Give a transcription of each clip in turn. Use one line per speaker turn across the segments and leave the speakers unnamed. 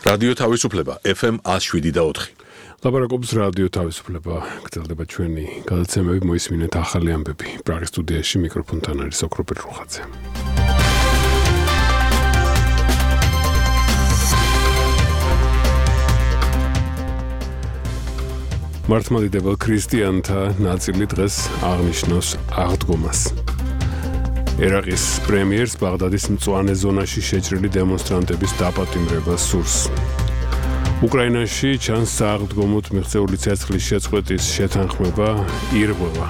რადიო თავისუფლება FM 107.4.
ლაპარაკობს რადიო თავისუფლება. გრძელდება ჩვენი გადაცემები, მოისმინეთ ახალი ამბები. პრაღის სტუდიაში მიკროფონთან არის ოქროპირ რუხაძე. მართლმადიდებელ ქრისტიანთა ნაწილი დღეს აღნიშნავს აღდგომას. ერაყის პრემიერს ბაღდადის მწვანე ზონაში შეჭრილი დემონსტრანტების დაპატიმრებას სურს. უკრაინაში ჩანს სააღდგომოდ მიღწეული ცეცხლის შეწყვეტის შეთანხმება ირღვევა.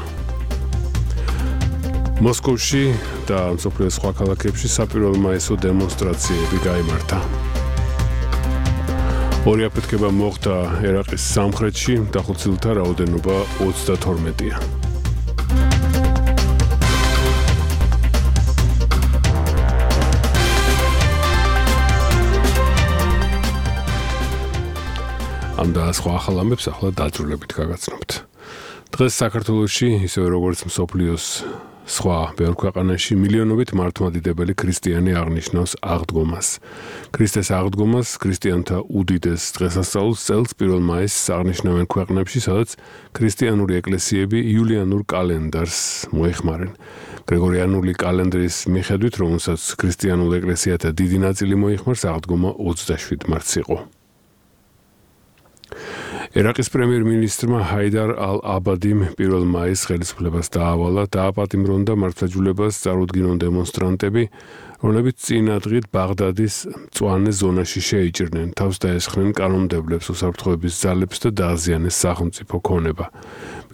მოსკოვში და მსოფლიოს სხვა ქალაქებში საპირველ მაისო დემონსტრაციები გაიმართა. ორი აფეთქება მოხდა ერაყის სამხრეთში, დახოცილთა რაოდენობა 32-ია. ამ და სხვა ახალ ამბებს ახლა დაძრულებით გაგაცნობთ. დღეს საქართველოში, ისევე როგორც მსოფლიოს სხვა ბევრ ქვეყანაში, მილიონობით მართლმადიდებელი ქრისტიანი აღნიშნავს აღდგომას. ქრისტეს აღდგომას ქრისტიანთა უდიდეს დღესასწაულს წელს 1 მაისს აღნიშნავენ ქვეყნებში, სადაც ქრისტიანული ეკლესიები იულიანურ კალენდარს მოეხმარენ. გრიგორიანული კალენდრის მიხედვით, რომელსაც ქრისტიანულ ეკლესიათა დიდი ნაწილი მოიხმარს, აღდგომა 27 მარტს იყო. ერაყის პრემიერ-მინისტრმა ჰაიდარ ალ-აბადიმ 1 მაისს ხელისუფლებას დაავალა, დააპატიმრონ და მართლმსაჯულებას წარუდგინონ დემონსტრანტები, რომლებიც წინა დღით ბაღდადის მწვანე ზონაში შეიჭრნენ, თავს დაესხნენ კანონმდებლებს, უსაფრთხოების ძალებს და დააზიანეს სახელმწიფო ქონება.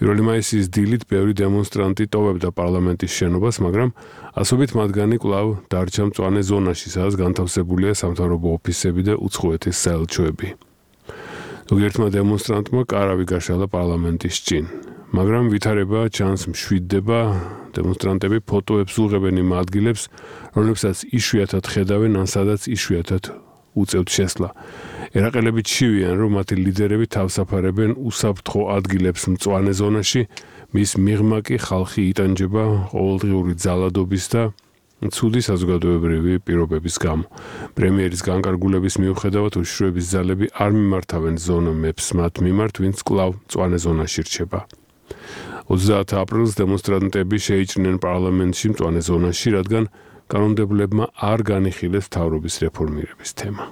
1 მაისის დილით ბევრი დემონსტრანტი ტოვებდა პარლამენტის შენობას, მაგრამ ასობით მათგანი კვლავ დარჩა მწვანე ზონაში, სადაც განთავსებულია სამთავრობო ოფისები და უცხოეთის საელჩოები. ზოგიერთმა დემონსტრანტმა კარავი გაშალა პარლამენტის წინ, მაგრამ ვითარება ჩანს მშვიდდება, დემონსტრანტები ფოტოებს უღებენ იმ ადგილებს, რომლებსაც იშვიათად ხედავენ, ან სადაც იშვიათად უწევთ შესვლა. ერაყელები ჩივიან, რომ მათი ლიდერები თავსაფარებენ უსაფრთხო ადგილებს მწვანე ზონაში, მის მიღმა კი ხალხი იტანჯება ყოველდღიური ძალადობის და ცუდი საზოგადოებრივი პირობების გამო. პრემიერის განკარგულების მიუხედავად უშიშროების ძალები არ მიმართავენ ზონომებს მათ მიმართ, ვინც კვლავ მწვანე ზონაში რჩება. 30 აპრილს დემონსტრანტები შეიჭრნენ პარლამენტში მწვანე ზონაში, რადგან კანონმდებლებმა არ განიხილეს მთავრობის რეფორმირების თემა.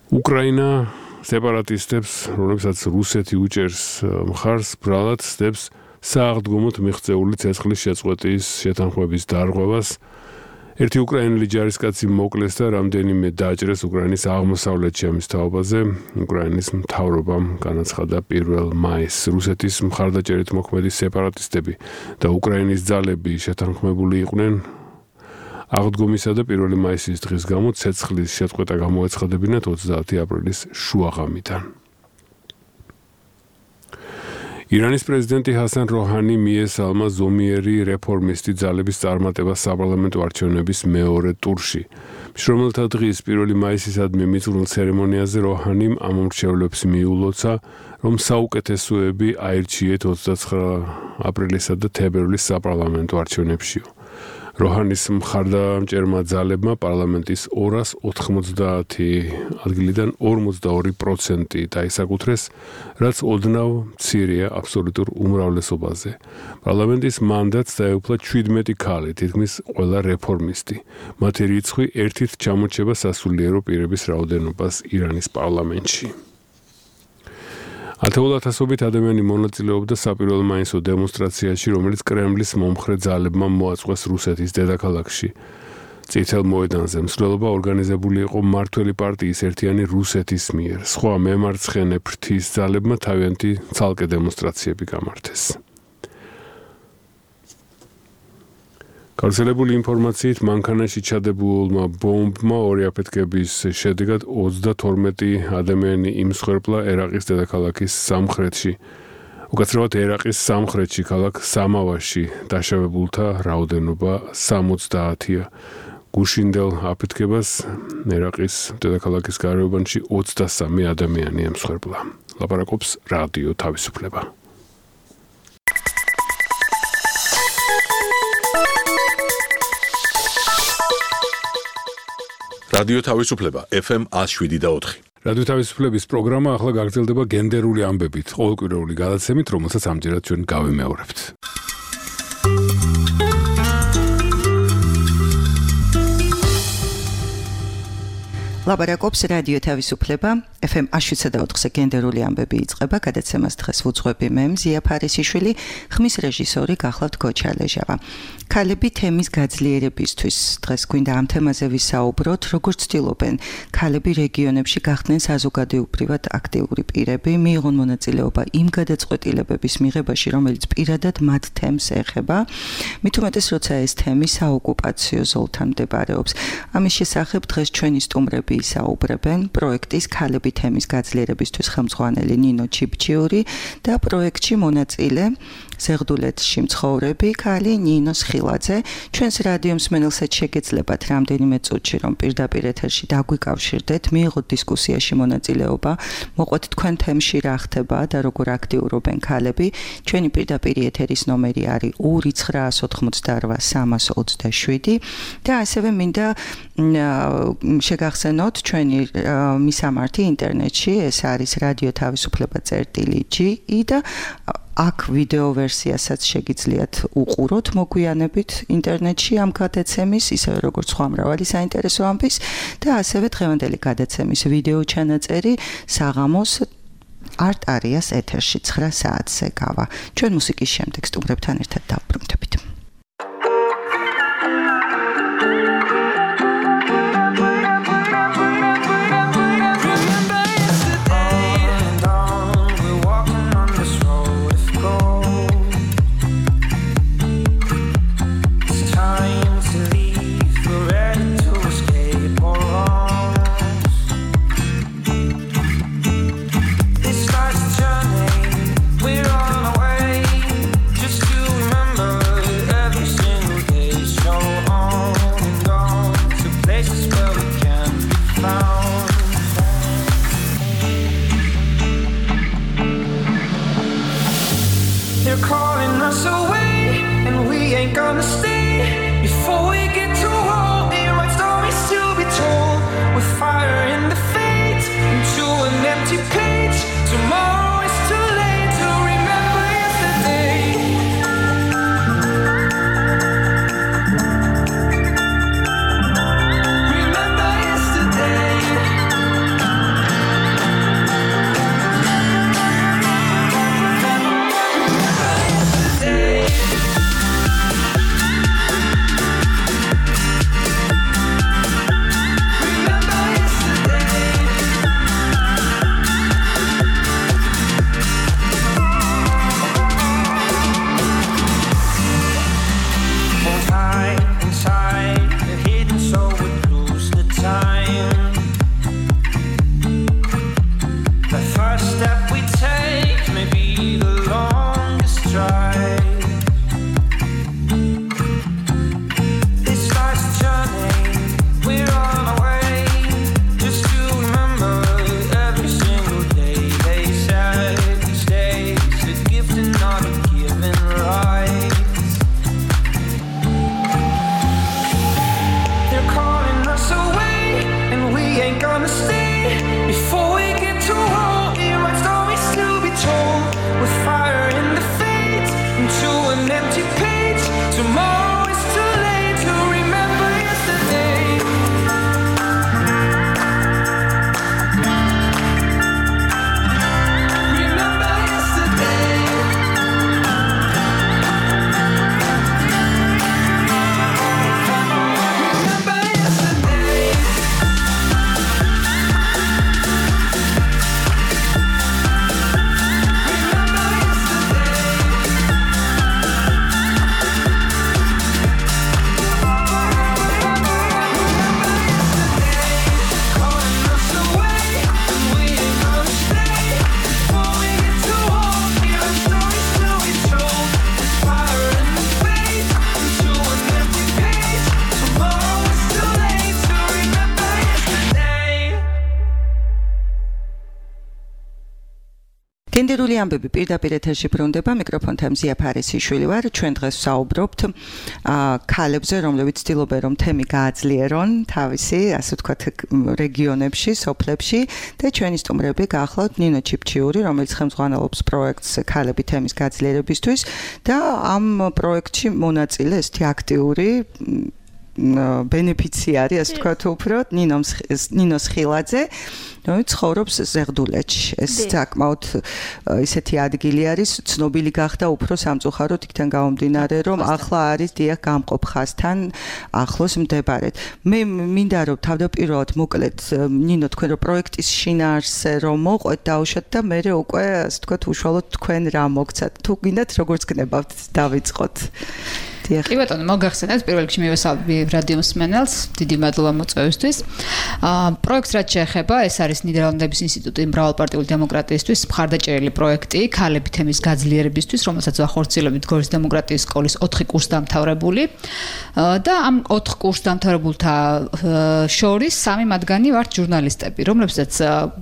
უკრაინა სეპარატისტებს, რომლებსაც რუსეთი უჭერს მხარს, ბრალად ცდებს სააღდგომოდ მიღწეული ცეცხლის შეწყვეტის შეთანხმების დარღვევას. ერთი უკრაინელი ჯარისკაცი მოკლეს და რამდენიმე დაჭრეს უკრაინის აღმოსავლეთში ამის თაობაზე. უკრაინის მთავრობამ განაცხადა 1 მაისს რუსეთის მხარდაჭერით მოქმედი სეპარატისტები და უკრაინის ძალები შეთანხმებული იყვნენ აღდგომისა და 1 მაისის დღის გამო ცეცხლის შეწყვეტა გამოეცხადებინათ 30 აპრილის შუაღამიდან. ირანის პრეზიდენტი ჰასან როჰანი მიესალმა ზომიერი რეფორმისტი ძალების წარმატებას საპარლამენტო არჩევნების მეორე ტურში. მშრომელთა დღის 1 მაისისადმი მიწვრილ ცერემონიაზე როჰანიმ ამ მრჩევლებს მიულოცა, რომ საუკეთესოები აირჩიეთ 29 აპრილისა და თებერვლის საპარლამენტო არჩევნებშიო. როჰანის მხარდამჭერმა ძალებმა პარლამენტის 290 ადგილიდან 42% დაისაკუთრეს, რაც ოდნავ მცირეა აბსოლუტურ უმრავლესობაზე. პარლამენტის მანდატს დაეუფლა 17 ქალი, თითქმის ყველა რეფორმისტი. მათი რიცხვი ერთით ჩამორჩება სასულიერო პირების რაოდენობას ირანის პარლამენტში. ათეულათასობით ადამიანი მონაწილეობდა საპირველ მაისო დემონსტრაციაში, რომელიც კრემლის მომხრე ძალებმა მოაწყვეს რუსეთის დედაქალაქში. წითელ მოედანზე მსვლელობა ორგანიზებული იყო მმართველი პარტიის ერთიანი რუსეთის მიერ. სხვა მემარცხენე ფრთის ძალებმა თავიანთი ცალკე დემონსტრაციები გამართეს. გავრცელებული ინფორმაციით, მანქანაში ჩადებულმა ბომბმა ორი აფეთქების შედეგად 32 ადამიანი იმსხვერპლა ერაყის დედაქალაქის სამხრეთში. უკაცრავად ერაყის სამხრეთში, ქალაქ სამავაში დაშავებულთა რაოდენობა 70-ია. გუშინდელ აფეთქებას ერაყის დედაქალაქის გარეუბანში 23 ადამიანი ემსხვერპლა. ლაპარაკობს რადიო თავისუფლება.
რადიო თავისუფლება FM 107.4.
რადიო თავისუფლების პროგრამა ახლა გაგრძელდება გენდერული ამბებით, ყოველკვირეული გადაცემით, რომელსაც ამჯერად ჩვენ გავიმეორებთ.
ლაპარაკობს რადიო თავისუფლება FM 107.4-ზე გენდერული ამბები იწყება, გადაცემას დღეს ვუძღვები მე მზია ფარისიშვილი, ხმის რეჟისორი გახლავთ გოჩალეჟავა. ქალები თემის გაძლიერებისთვის დღეს გვინდა ამ თემაზე ვისაუბროთ, როგორც ცდილობენ ქალები რეგიონებში გახდნენ საზოგადოებრივად აქტიური პირები, მიიღონ მონაწილეობა იმ გადაწყვეტილებების მიღებაში, რომელიც პირადად მათ თემს ეხება, მით უმეტეს როცა ეს თემი საოკუპაციო ზოლთან მდებარეობს. ამის შესახებ დღეს ჩვენი სტუმრები ისაუბრებენ პროექტის ქალები თემის გაძლიერებისთვის ხელმძღვანელი ნინო ჩიბჩიური და პროექტში მონაწილე ზეგდულეთში მცხოვრები ქალი ნინო სხილაძე. ჩვენს რადიო მსმენელსაც შეგეძლებათ რამდენიმე წუთში რომ პირდაპირ ეთერში დაგვიკავშირდეთ, მიიღოთ დისკუსიაში მონაწილეობა, მოყვეთ თქვენ თემში რა ხდება და როგორ აქტიურობენ ქალები. ჩვენი პირდაპირ ეთერის ნომერი არის 2988327 და ასევე მინდა შეგახსენოთ ჩვენი მისამართი ინტერნეტში, ეს არის რადიო თავისუფლება.gi და აქ ვიდეო ვერსიასაც შეგიძლიათ უყუროთ მოგვიანებით ინტერნეტში ამ გადაცემის, ისევე როგორც სხვა მრავალი საინტერესო ამბის და ასევე დღევანდელი გადაცემის ვიდეო ჩანაწერი საღამოს არტარიას ეთერში 9 საათზე გავა. ჩვენ მუსიკის შემდეგ სტუმრებთან ერთად დავბრუნდებით. გენდერული ამბები პირდაპირ ეთერში ბრუნდება მიკროფონთან მზია ფარისიშვილი ვარ ჩვენ დღეს ვსაუბრობთ ქალებზე რომლებიც ცდილობენ რომ თემი გააძლიერონ თავისი ასე ვთქვათ რეგიონებში სოფლებში და ჩვენი სტუმრები გახლავთ ნინო ჩიფჩიური რომელიც ხელმძღვანელობს პროექტს ქალები თემის გაძლიერებისთვის და ამ პროექტში მონაწილე ესეთი აქტიური ბენეფიციარი ასე ვთქვათ უფრო ნინოს ხილაძე რომელიც ცხოვრობს ზეღდულეთში ეს საკმაოდ ისეთი ადგილი არის ცნობილი გახდა უფრო სამწუხაროდ იქიდან გამომდინარე რომ ახლა არის დიახ გამყოფ ხაზთან ახლოს მდებარედ მე მინდა რომ თავდაპირველად მოკლედ ნინო თქვენ რომ პროექტის შინაარსზე რომ მოყვეთ დაუშვათ და მე უკვე ასე ვთქვათ უშუალოდ თქვენ რა მოგცათ თუ გინდათ როგორც გნებავთ დავიწყოთ
კი ბატონო, მოგახსენეთ პირველ რიგში მივესალმები რადიო მსმენელს, დიდი მადლობა მოწვევისთვის. პროექტს რაც შეეხება, ეს არის ნიდერლანდების ინსტიტუტი მრავალპარტიული დემოკრატიისთვის მხარდაჭერილი პროექტი, ქალები თემის გაძლიერებისთვის, რომელსაც ვახორციელებთ გორის დემოკრატიის სკოლის 4 კურსდამთავრებული. და ამ 4 კურსდამთავრებულთა შორის 3 მათგანი ვართ ჟურნალისტები, რომლებსაც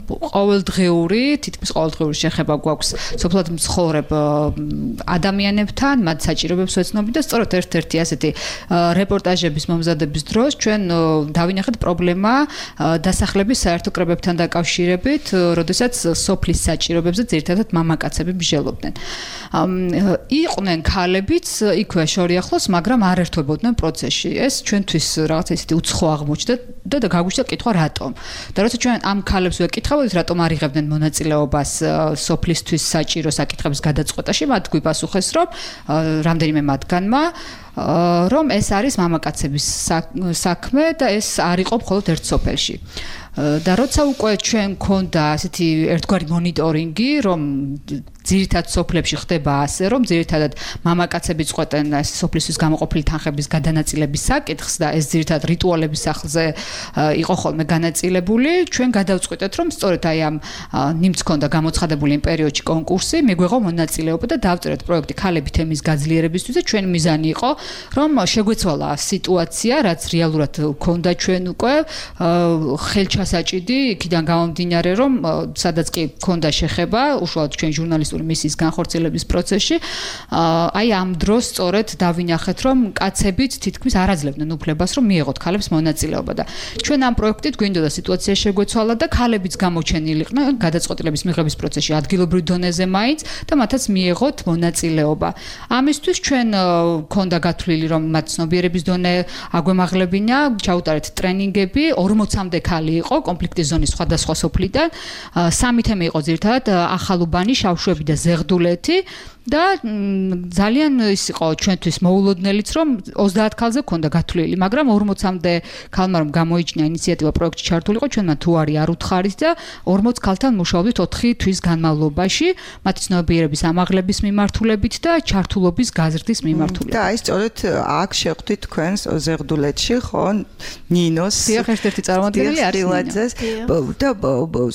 ყოველდღიური, თითქმის ყოველდღიური შეხება გვაქვს სოფლად მცხოვრებ ადამიანებთან, მათ საჭიროებებს ვეცნობთ და სწორედ ერთ-ერთი ასეთი რეპორტაჟების მომზადების დროს ჩვენ დავინახეთ პრობლემა დასახლების საერთო კრებებთან დაკავშირებით, როდესაც სოფლის საჭიროებებზე ძირითადად მამაკაცები მსჯელობდნენ. იყვნენ ქალებიც იქვე შორიახლოს, მაგრამ არ ერთვებოდნენ პროცესში. ეს ჩვენთვის რაღაც ისეთი უცხო აღმოჩნდა და გაგვიშვა კითხვა რატომ. და როცა ჩვენ ამ ქალებს ვეკითხავთ, რატომ არ იღებდნენ მონაწილეობას სოფლისთვის საჭირო საკითხების გადაწყვეტაში, მათ გვიპასუხეს, რომ რამდენიმე მათგანმა რომ ეს არის მამაკაცების საქმე და ეს არ იყო მხოლოდ ერთ სოფელში. და როცა უკვე ჩვენ გქონდა ასეთი ერთგვარი მონიტორინგი, რომ ძირითად სოფლებში ხდება ასე, რომ ძირითადად მამაკაცები წყვეტენ სოფლისთვის გამოყოფილი თანხების გადანაწილების საკითხს და ეს ძირითადად რიტუალების სახლზე იყო ხოლმე განაწილებული, ჩვენ გადავწყვიტეთ, რომ სწორედ აი ამ ნიმც ქონდა გამოცხადებული იმ პერიოდში კონკურსი, მიგვეღო მონაწილეობა და დავწერეთ პროექტი ქალები თემის გაძლიერებისთვის და ჩვენი მიზანი იყო, რომ შეგვეცვალა სიტუაცია, რაც რეალურად ქონდა ჩვენ უკვე ხელჩასაჭიდი, იქიდან გამომდინარე, რომ სადაც კი ქონდა შეხება, უშუალოდ ჩვენ ჟურნალისტ მისის განხორციელების პროცესში, აი ამ დროს სწორედ დავინახეთ, რომ კაცებიც თითქმის არ აძლევდნენ უფლებას, რომ მიეღოთ ქალებს მონაწილეობა და ჩვენ ამ პროექტით გვინდოდა სიტუაცია შეგვეცვალა და ქალებიც გამოჩენილიყვნენ გადაწყვეტილების მიღების პროცესში ადგილობრივ დონეზე მაინც და მათაც მიეღოთ მონაწილეობა. ამისთვის ჩვენ ქონდა გათვლილი, რომ მათ ცნობიერების დონე აგვემაღლებინა, ჩაუტარეთ ტრენინგები, 40-მდე ქალი იყო კონფლიქტის ზონის სხვადასხვა სოფლიდან, 3 თემა იყო ძირითადად ახალუბანი, შავშვები და ზეღდულეთი და ძალიან ის იყო ჩვენთვის მოულოდნელიც, რომ 30 ქალზე ქონდა გათვლილი, მაგრამ 40-მდე ქალმა რომ გამოიჩინა ინიციატივა პროექტში ჩართულიყო, ჩვენმა თუ არ უთხარით და 40 ქალთან მუშაობდით 4 თვის განმავლობაში, მათი ცნობიერების ამაღლების მიმართულებით და ჩართულობის გაზრდის მიმართულებით.
და აი სწორედ აქ შეხვდით თქვენს ზეღდულეთში, ხო, ნინოს
ერთ-ერთი წარმომადგენელი არის
და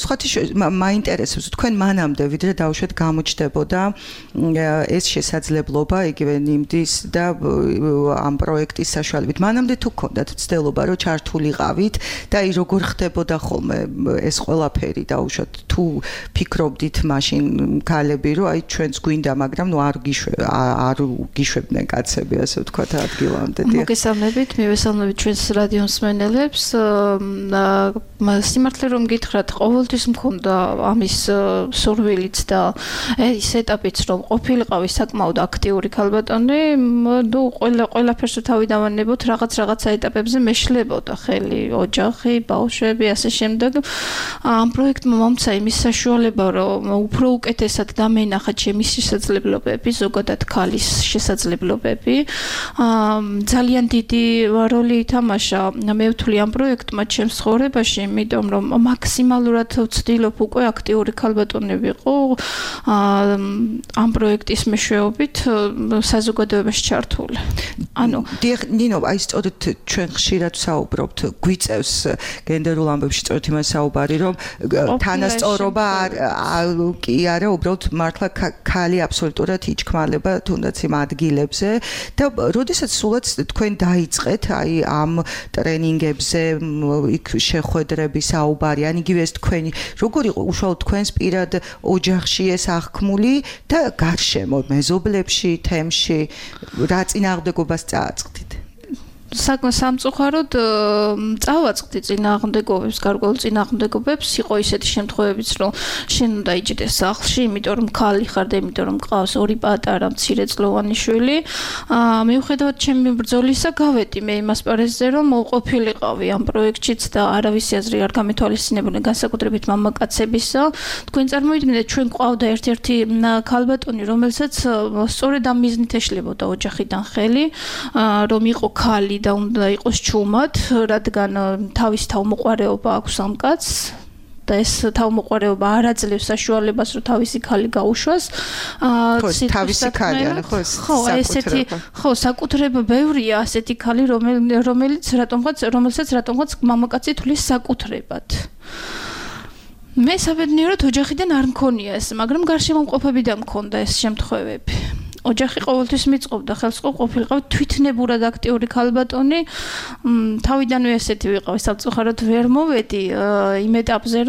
სხვათა მაინტერესებს თქვენ მანამდე ვიდრე დავუშვათ გამოჩნდებოდა ეს შესაძლებლობა იგივე ნიმდის და ამ პროექტის საშუალებით მანამდე თუ გქონდათ ცდილობა რომ ჩართულიყავით და აი როგორ ხდებოდა ხოლმე ეს ყველაფერი დაუშვათ თუ ფიქრობდით მაშინ ქალები რომ აი ჩვენც გვინდა მაგრამ ნუ არ გიშვებდნენ კაცები ასე ვთქვათ ადგილამდე
მოგესალმებით მივესალმებით ჩვენს რადიო მსმენელებს სიმართლე რომ გითხრათ ყოველთვის მქონდა ამის სურვილიც და ეს ეტაპიც რომ ყოფილიყავი საკმაოდ აქტიური ქალბატონი, ნუ ყველაფერს თავი დავანებოთ, რაღაცა ეტაპებზე მეშლებოდა ხელი, ოჯახი, ბავშვები, ასე შემდეგ. ამ პროექტმა მომცა იმის საშუალება, რომ უფრო უკეთესად დამენახა ჩემი შესაძლებლობები, ზოგადად ქალის შესაძლებლობები. ძალიან დიდი როლი ითამაშა, მე ვთვლი ამ პროექტმა ჩემს ცხოვრებაში, იმიტომ რომ მაქსიმალურად ვცდილობ უკვე აქტიური ქალბატონი ვიყო. ამ პროექტის მეშვეობით საზოგადოებაში ჩართული. ანუ
ნინო, აი სწორედ ჩვენ ხშირად საუბრობთ, გვიწევს გენდერულ ამბებში სწორედ იმას საუბარი, რომ თანასწორობა კი არა, უბრალოდ მართლა ქალი აბსოლუტურად იჩქმალება თუნდაც იმ ადგილებზე და როდესაც სულაც თქვენ დაიწყეთ აი ამ ტრენინგებზე იქ შეხვედრები საუბარი, ან იგივე ეს თქვენი როგორ იყო უშუალოდ თქვენს პირად ოჯახში ეს აღქმული და გარშემო მეზობლებში, თემში რა წინააღმდეგობას წააწყდით?
სამწუხაროდ წავაწყდი წინააღმდეგობებს, გარკვეულ წინააღმდეგობებს, იყო ისეთი შემთხვევებიც, რომ შენ უნდა იჯდეს სახლში, იმიტომ რომ ქალი ხარ და იმიტომ რომ ყავს ორი პატარა მცირეწლოვანი შვილი. მიუხედავად ჩემი ბრძოლისა, გავედი მე იმ ასპარეზზე, რომ ყოფილიყავი ამ პროექტშიც და არავის აზრი არ გამეთვალისწინებოდა განსაკუთრებით მამაკაცებისა. თქვენ წარმოიდგინეთ, ჩვენ ყავდა ერთ-ერთი ქალბატონი, რომელსაც სწორედ ამ მიზნით ეშლებოდა ოჯახიდან ხელი, რომ იყო ქალი და უნდა იყოს ჩუმად, რადგან თავის თავმოყარეობა აქვს ამ კაცს და ეს თავმოყარეობა არ აძლევს საშუალებას, რომ თავისი ქალი გაუშვას.
თავისი ქალი, ხო,
ესეთი, ხო, საკუთრება ბევრია ასეთი ქალი, რომელსაც რატომღაც მამაკაცი თვლის საკუთრებად. მე საბედნიეროდ ოჯახიდან არ მქონია ეს, მაგრამ გარშემომყოფებიდან მქონდა ეს შემთხვევები. ოჯახი ყოველთვის მიწყობდა ხელს ყოფილიყავ თვითნებურად აქტიური ქალბატონი. თავიდანვე ესეთი ვიყავი, სამწუხაროდ ვერ მოვედი იმ ეტაპზე,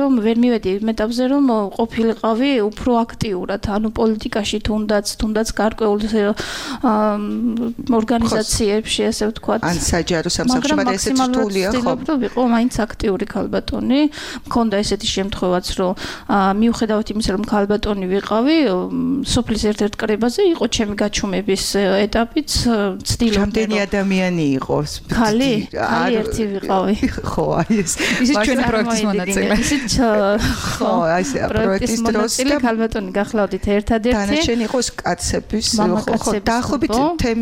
რომ ყოფილიყავი უფრო აქტიურად, ანუ პოლიტიკაში თუნდაც გარკვეულ ორგანიზაციებში, ასე ვთქვათ.
ან საჯარო სამსახურში, მაგრამ ესეც რთულია, ხო?
მაგრამ ვიყო მაინც აქტიური ქალბატონი. მქონდა ესეთი შემთხვევაც, რომ მიუხედავად იმისა, რომ ქალბატონი ვიყავი, სოფლის ერთ-ერთ კრებაზე იყო გაჩუმების ეტაპიც ცდილობდა.
რამდენი ადამიანი იყო?
ქალი ერთი ვიყავი.
ხო, აი ეს.
ისიც ჩვენი პროექტის მონაწილე.
ხო, აი ეს პროექტის დროს
ქალბატონი გახლავდით ერთადერთი.
დანარჩენი იყოს კაცების, ხო, დაახლოებით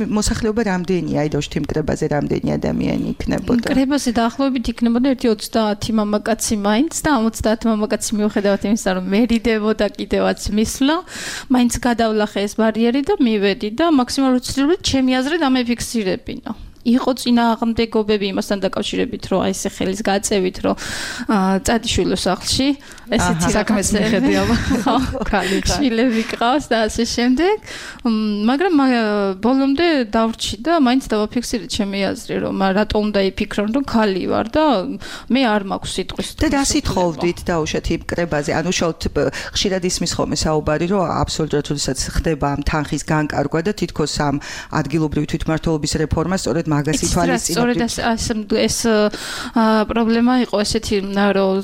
მოსახლეობა რამდენია? აი დოშთი მკრებაზე რამდენი ადამიანი იქნებოდა?
მკრებაზე დაახლოებით იქნებოდა 30 მამაკაცი მაინც და 50 მამაკაცი მიუხედავად იმისა, რომ მერიდებოდა კიდევაც მისვლა, მაინც გადავლახე ეს ბარიერი და მივედი და მაქსიმალურად ვცდილობდი ჩემი აზრით ამეფიქსირებინა. იყო წინააღმდეგობები იმასთან დაკავშირებით, რომ აი ესე ხელის გაწევით, რომ წადიშვილო სახლში, ესეთი
საქმეს მიხედია, ხო,
ქალი შვილები ყავს და ასე შემდეგ. მაგრამ ბოლომდე დავრჩი და მაინც დავაფიქსირე ჩემი აზრი, რომ რატომ უნდა იფიქრონ, რომ ქალი ვარ და მე არ მაქვს სიტყვის.
და რა სიტყოვდით დაუშვათ იმ კრებაზე? ანუ უშუალოდ ხშირად ისმის ხოლმე საუბარი, რომ აბსოლუტურად როდესაც ხდება ამ თანხის განკარგვა და თითქოს ამ ადგილობრივი თვითმმართველობის რეფორმა სწორედ მაგას ითვალისწინებთ.
სწორედ ეს პრობლემა იყო ესეთი, რომ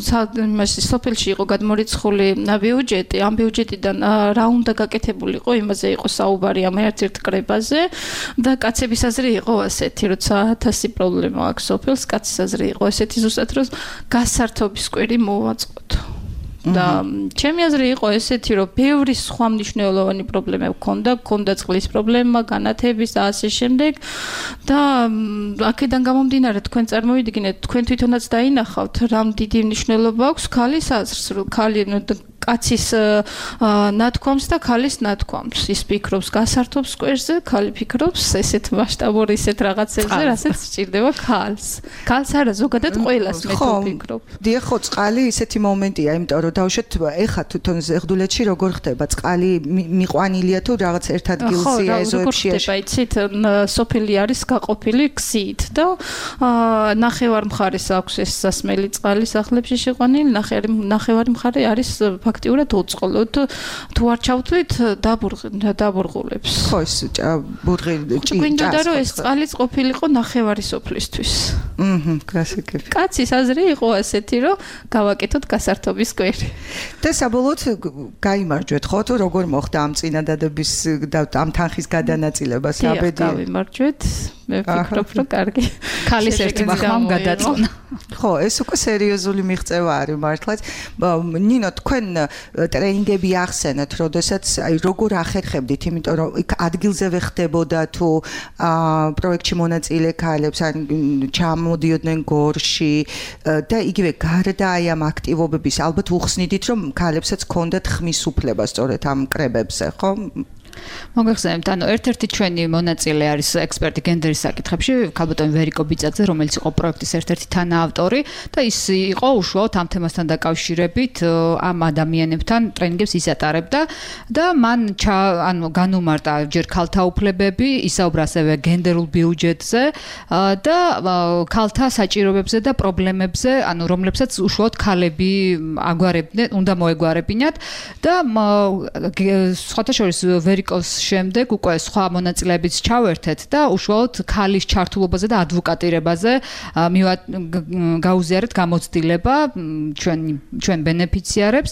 სოფელში იყო გადმორიცხული ბიუჯეტი, ამ ბიუჯეტიდან რა უნდა გაკეთებულიყო, იმაზე იყო საუბარი ამ ერთ-ერთ კრებაზე და კაცების აზრი იყო ასეთი, როცა 1000 პრობლემა აქვს სოფელს, კაცის აზრი იყო ესეთი ზუსტად, რომ გასართობის კვირი მოვაწყოთ. და ჩემი აზრი იყო ესეთი, რომ ბევრი სხვა მნიშვნელოვანი პრობლემა გქონდა წყლის პრობლემა, განათების და ასე შემდეგ და აქედან გამომდინარე თქვენ წარმოიდგინეთ, თქვენ თვითონაც დაინახავთ, რამ დიდი მნიშვნელობა აქვს ქალის აზრს, რომ ქალი კაცის ნათქვამს და ქალის ნათქვამს. ის ფიქრობს გასართობს კვერზე, ქალი ფიქრობს ესეთ მასშტაბური ისეთ რაღაცებზე, რასაც სჭირდება ქალს. ქალს არა, ზოგადად ყველას მე ვფიქრობ.
დიახ, ხო, წყალი ისეთი მომენტია, იმიტომ რომ დავუშვათ ეხა თვითონ ზეგდულეთში როგორ ხდება, წყალი მიყვანილია თუ რაღაც ერთ ადგილზეა ეზოებში.
ხო, ხდება, იცით, სოფელი არის გაყოფილი გზით და ნახევარ მხარეს აქვს ეს სასმელი წყალი სახლებში შეყვანილი, ნახევარი მხარე არის ფაქტიურად უწყლოდ თუ არ ჩავთვლით დაბურღულებს.
ხო, ეს ბურღილი ჭი.
გვინდა რომ ეს წყალიც ყოფილიყო ნახევარი სოფლისთვის.
გასაგები.
კაცის აზრი იყო ასეთი, რომ გავაკეთოთ გასართობის კვერი.
და საბოლოოდ გაიმარჯვეთ, ხო, თუ როგორ მოხდა ამ წინადადების და ამ თანხის გადანაწილება საბედი?
გავიმარჯვეთ. მე ვფიქრობ, რომ კარგი.
ქალის ერთი მახმამ გადაწყვნა.
ხო, ეს უკვე სერიოზული მიღწევა არის მართლაც. ნინო, თქვენ ტრენინგები ახსენეთ, როდესაც აი როგორ ახერხებდით, იმიტომ რომ იქ ადგილზევე ხდებოდა თუ პროექტში მონაწილე ქალებს ან ჩამოდიოდნენ გორში და იგივე გარდა აი ამ აქტივობების ალბათ უხსნიდით, რომ ქალებსაც ჰქონდათ ხმის უფლება სწორედ ამ კრებებზე, ხო?
მოგეხსენებთ, ანუ ერთ-ერთი ჩვენი მონაწილე არის ექსპერტი გენდერის საკითხებში, ქალბატონი ვერიკო ბიძაძე, რომელიც იყო პროექტის ერთ-ერთი თანაავტორი და ის იყო უშუალოდ ამ თემასთან დაკავშირებით ამ ადამიანებთან ტრენინგებს ისატარებდა და მან განუმარტა ჯერ ქალთა უფლებები, ისაუბრა ასევე გენდერულ ბიუჯეტზე და ქალთა საჭიროებებზე და პრობლემებზე, ანუ რომლებსაც უშუალოდ ქალები აგვარებდნენ, უნდა მოეგვარებინათ და სხვათა შორის ვერიკოს შემდეგ უკვე სხვა მონაწილეებიც ჩავერთეთ და უშუალოდ ქალის ჩართულობაზე და ადვოკატირებაზე გაუზიარეთ გამოცდილება ჩვენ ბენეფიციარებს.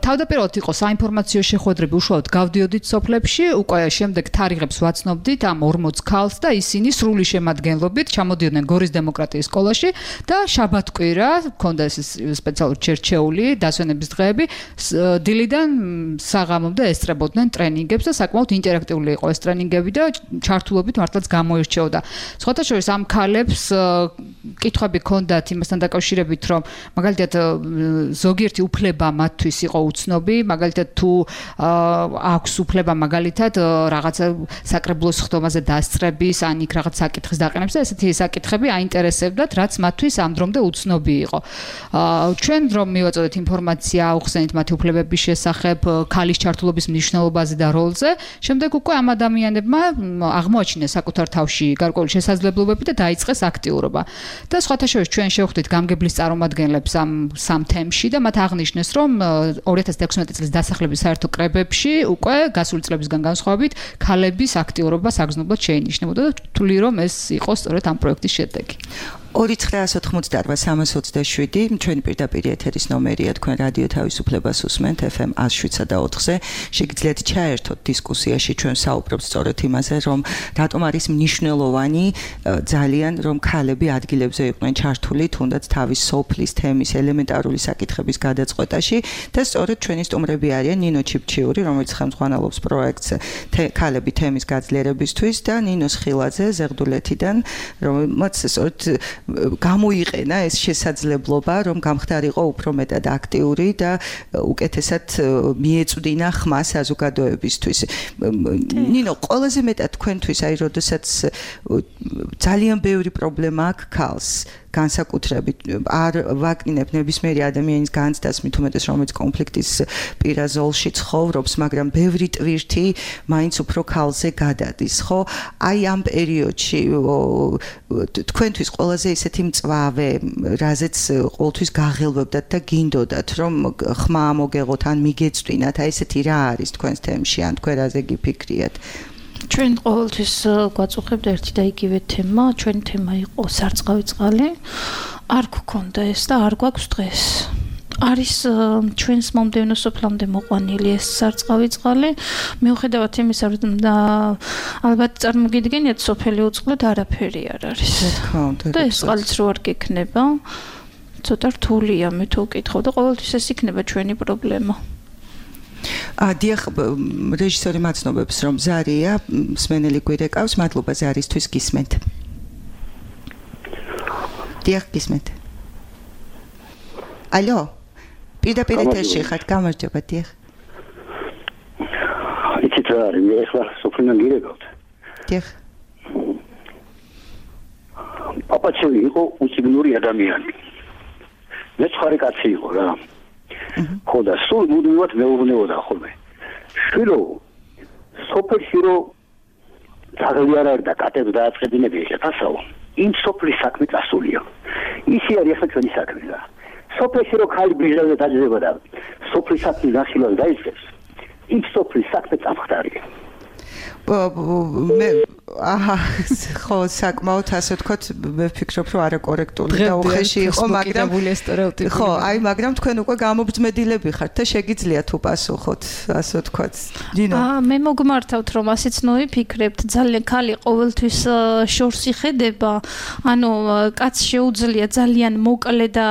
თავდაპირველად იყო საინფორმაციო შეხვედრები, უშუალოდ გავდიოდით სოფლებში, უკვე შემდეგ თარიღებს ვაცნობდით ამ 40 ქალს და ისინი სრული შემადგენლობით ჩამოდიოდნენ გორის დემოკრატიის სკოლაში და შაბათ-კვირა ჰქონდა ეს სპეციალური ჩერჩეული დასვენების დღეები, დილიდან საღამომდე ესწრებოდნენ ტრენინგებს და საკმაოდ ინტერაქტიული იყო ეს ტრენინგები და ჩართულობით მართლაც გამოირჩეოდა. სხვათა შორის ამ ქალებს კითხვები ჰქონდათ იმასთან დაკავშირებით, რომ მაგალითად ზოგიერთი უფლება მათთვის იყო უცნობი, მაგალითად თუ აქვს უფლება მაგალითად რაღაცა საკრებულოს ხდომაზე დასწრების, ან იქ რაღაც საკითხის დაყენების და ესეთი საკითხები აინტერესებდათ, რაც მათთვის ამ დრომდე უცნობი იყო. ჩვენ რომ მივაწოდეთ ინფორმაცია, აუხსენით მათი უფლებების შესახებ, ქალის ჩართულობის მნიშვნელობაზე და როლზე, შემდეგ უკვე ამ ადამიანებმა აღმოაჩინეს საკუთარ თავში გარკვეული შესაძლებლობები და დაიწყეს აქტიურობა. და სხვათა შორის ჩვენ შევხვდით გამგებლის წარმომადგენლებს ამ სამ თემში და მათ აღნიშნეს, რომ 2016 წლის დასახლების საერთო კრებებში უკვე გასული წლებისგან განსხვავებით ქალების აქტიურობა საგრძნობლად შეინიშნებოდა და თვლი რომ ეს იყო სწორედ ამ პროექტის შედეგი.
2988327 ჩვენი პირდაპირ ეთერის ნომერია, თქვენ რადიო თავისუფლებას უსმენთ FM 107.4-ზე. შეგიძლიათ ჩაერთოთ დისკუსიაში, ჩვენ საუბრობთ სწორედ იმაზე, რომ რატომ არის მნიშვნელოვანი ძალიან რომ ქალები ადგილებზე იყვნენ ჩართული, თუნდაც თავის სოფლის თემის ელემენტარული საკითხების გადაწყვეტაში და სწორედ ჩვენი სტუმრები არიან ნინო ჩიფჩიური, რომელიც ხელმძღვანელობს პროექტს ქალები თემის გაძლიერებისთვის და ნინო სხილაძე ზეღდულეთიდან, რომელმაც სწორედ გამოიყენა ეს შესაძლებლობა, რომ გამხდარიყო უფრო მეტად აქტიური და უკეთესად მიეწვდინა ხმა საზოგადოებისთვის. ნინო, ყველაზე მეტად თქვენთვის, აი, როდესაც ძალიან ბევრი პრობლემა აქვს ქალს, განსაკუთრებით არ ვაკნინებ ნებისმიერი ადამიანის განცდას, მით უმეტეს რომელიც კონფლიქტის პირა ზოლში ცხოვრობს, მაგრამ ბევრი ტვირთი მაინც უფრო ქალზე გადადის, ხო? აი ამ პერიოდში თქვენთვის ყველაზე ისეთი მწვავე, რაზეც ყოველთვის გაღელვებდათ და გინდოდათ, რომ ხმა მოგეღოთ ან მიგეწვდინათ, აი ესეთი რა არის თქვენს თემში, ან თქვენ რაზე გიფიქრიათ?
ჩვენ ყოველთვის გვაწუხებდა ერთი და იგივე თემა, ჩვენი თემა იყო სარწყავი წყალი. არ გქონდა ეს და არ გვაქვს დღეს. არის ჩვენს მომდევნო სოფლამდე მოყვანილი ეს სარწყავი წყალი. მიუხედავად იმისა, რომ ალბათ წარმოგიდგენიათ, სოფელი უწყლოდ არაფერი არ არის. და ეს წყალიც რო არ გექნება, ცოტა რთულია მე თუ ვკითხავ და ყოველთვის ეს იქნება ჩვენი პრობლემა.
დიახ, რეჟისორი მაცნობებს, რომ ზარია მსმენელი გვირეკავს, მადლობა ზარისთვის, გისმენთ. დიახ, გისმენთ. ალო? პირდაპირ ეთერში ხართ, გამარჯობა, დიახ.
იცით რა არის, მე ახლა სოფლიდან გირეკავთ.
დიახ.
პაპაჩევი იყო უციგნური ადამიანი. მე ცხარი კაცი იყო რა. ხო და სულ მუდმივად მეუბნებოდა ხოლმე. შვილო, სოფელში რო ძაღლი არ არის და კატებს დააწყებინები ეხეთასაო, იმ სოფლის საქმე წასულია. ისი არის ახლა ჩვენი საქმე რა. სოფელში რო ხალი ბიჟაზე დაძება და სოფლის საქმე გასილოს დაიწყებს, იმ სოფლის საქმე წამხდარია.
მე ხო, საკმაოდ ასე ვთქვათ, მე ვფიქრობ, რომ არაკორექტული და უხეში იყო, მაგრამ ხო, აი, მაგრამ თქვენ უკვე გამობრძმედილები ხართ და შეგიძლიათ უპასუხოთ, ასე ვთქვათ. დინო.
მე მოგმართავთ, რომ ასეც ნოიფიქრებთ, ძალიან ქალი ყოველთვის შორს იხედება, ანუ კაც შეუძლია ძალიან მოკლე და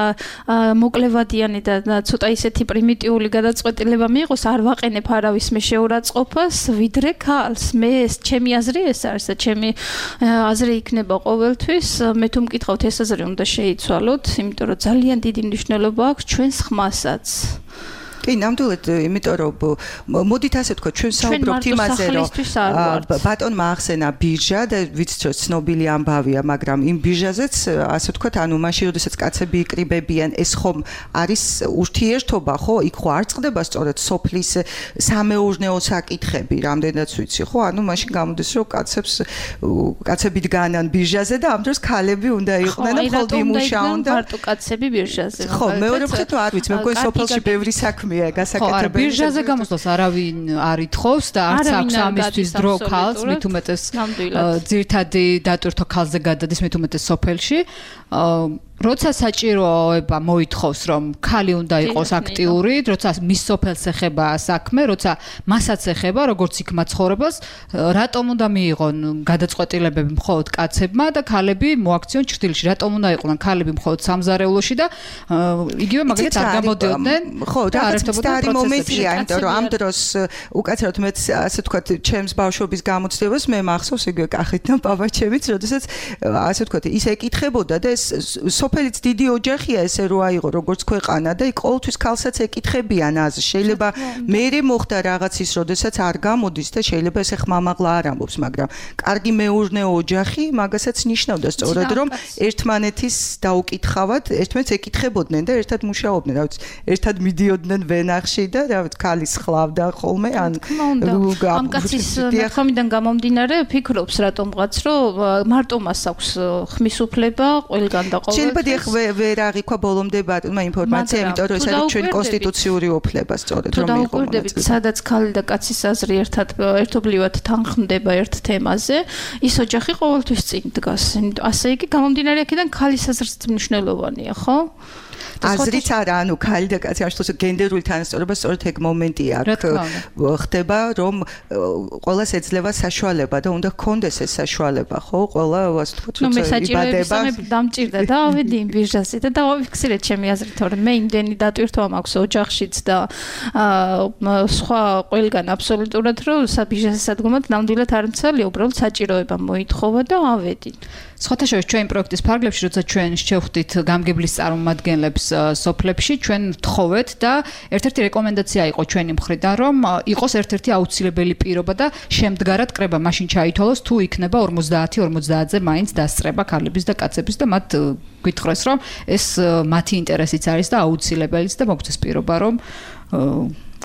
მოკლევადიანი და ცოტა ისეთი პრიმიტიული გადაწყვეტილება მიიღოს, არ ვაყენებ არავის მე შეურაცხყოფას, ვიდრე ქალს. მე ეს ჩემი აზრი ეს არის და ჩემი აზრი იქნება ყოველთვის. მე თუ მკითხავთ ეს აზრი უნდა შეიცვალოთ, იმიტომ რომ ძალიან დიდი მნიშვნელობა აქვს ჩვენს ხმასაც.
კი, ნამდვილად, იმიტომ რომ მოდით ასე თქვა, ჩვენ საუბრობთ იმაზე, რომ ბატონმა ახსენა ბირჟა და ვიცით, რომ ცნობილი ამბავია, მაგრამ იმ ბირჟაზეც ასე ვთქვათ, ანუ მაშინ, როდესაც კაცები იკრიბებიან, ეს ხომ არის ურთიერთობა, ხო? იქ ხო არ წყდება სწორედ სოფლის სამეურნეო საკითხები, რამდენად ვიცი, ხო? ანუ მაშინ გამოდის, რომ კაცები დგანან ბირჟაზე და ამ დროს ქალები უნდა იყვნენ და მხოლოდ იმუშაონ და
მარტო კაცები ბირჟაზე.
ხო, მეორე მხრივ არ ვიცი, მე მგონი სოფელში ბევრი საქმეა გასაკეთებელი.
ბირჟაზე გამოსვლას არავინ არ ითხოვს და არც აქვს ამისთვის დრო ქალს, მით უმეტეს ძირთადი დატვირთო ქალზე გადადის მით უმეტეს სოფელში. როცა საჭიროება მოითხოვს, რომ ქალი უნდა იყოს აქტიური, როცა მის სოფელს ეხება საქმე, როცა მასაც ეხება, როგორც იქ მაცხოვრებელს, რატომ უნდა მიიღონ გადაწყვეტილებები მხოლოდ კაცებმა და ქალები მოაქციონ ჭრილში? რატომ უნდა იყვნენ ქალები მხოლოდ სამზარეულოში და იგივე მაგალითად არ გამოდიოდნენ?
ხო, და არის მომენტია, იმიტომ რომ ამ დროს უკაცრავად მეც ასე ვთქვათ, ჩემს ბავშვობის გამოცდილებას მე მახსოვს იგივე კახით და პაპაჩევიც, როდესაც ასე ვთქვათ, ის ეკითხებოდა და ეს სოფელიც დიდი ოჯახია ესე რო აიღო როგორც ქვეყანა და იქ ყოველთვის ქალსაც ეკითხებიან აზრს. შეიძლება მერე მოხდა რაღაც ის, როდესაც არ გამოდის და შეიძლება ესე ხმამაღლა არ ამბობს, მაგრამ კარგი მეურნეო ოჯახი მაგასაც ნიშნავდა სწორად, რომ ერთმანეთის დაუკითხავად, ერთმანეთს ეკითხებოდნენ და ერთად მუშაობდნენ, რა ვიცი, ერთად მიდიოდნენ ვენახში და რა ვიცი, ქალის ხლავდა ხოლმე ან
ამ კაცის ნახომიდან გამომდინარე ფიქრობს რატომღაც, რომ მარტო მას აქვს ხმის უფლება ყველგან და
შეიძლება დიახ ვერ აღიქვა ბოლომდე ბატონმა ინფორმაცია, იმიტომ რომ ეს არის ჩვენი კონსტიტუციური უფლება სწორედ რომ
მიიღო. სადაც ქალი და კაცის აზრი ერთობლივად თანხმდება ერთ თემაზე, ის ოჯახი ყოველთვის წინ დგას. ასე იგი გამომდინარე აქედან ქალის აზრიც მნიშვნელოვანია, ხო?
აზრიც არა, ანუ ქალი და კაცი ამ შემთხვევაში გენდერული თანასწორობა სწორედ ეგ მომენტია აქ ხდება, რომ ყველას ეძლევა საშუალება და უნდა ჰქონდეს ეს საშუალება, ხო? ყველა ასე ვთქვათ,
რომ იბადება. მე დამჭირდა და ავედი იმ ბირჟაზე და დავიფიქსირე ჩემი აზრით, რომ მე იმდენი დატვირთვა მაქვს ოჯახშიც და სხვა ყველგან აბსოლუტურად, რომ საბიჟაზე სადგომად ნამდვილად არ მცალია, უბრალოდ საჭიროება მოითხოვა და ავედი.
სხვათა შორის ჩვენ პროექტის ფარგლებში, როცა ჩვენ შევხვდით გამგებლის წარმომადგენლებს სოფლებში, ჩვენ ვთხოვეთ და ერთ-ერთი რეკომენდაცია იყო ჩვენი მხრიდან, რომ იყოს ერთ-ერთი აუცილებელი პირობა და შემდგარად კრება მაშინ ჩაითვალოს, თუ იქნება 50-50-ზე მაინც დასწრება ქალების და კაცების და მათ გითხრეს, რომ ეს მათი ინტერესიც არის და აუცილებელიც და მოგწეს პირობა, რომ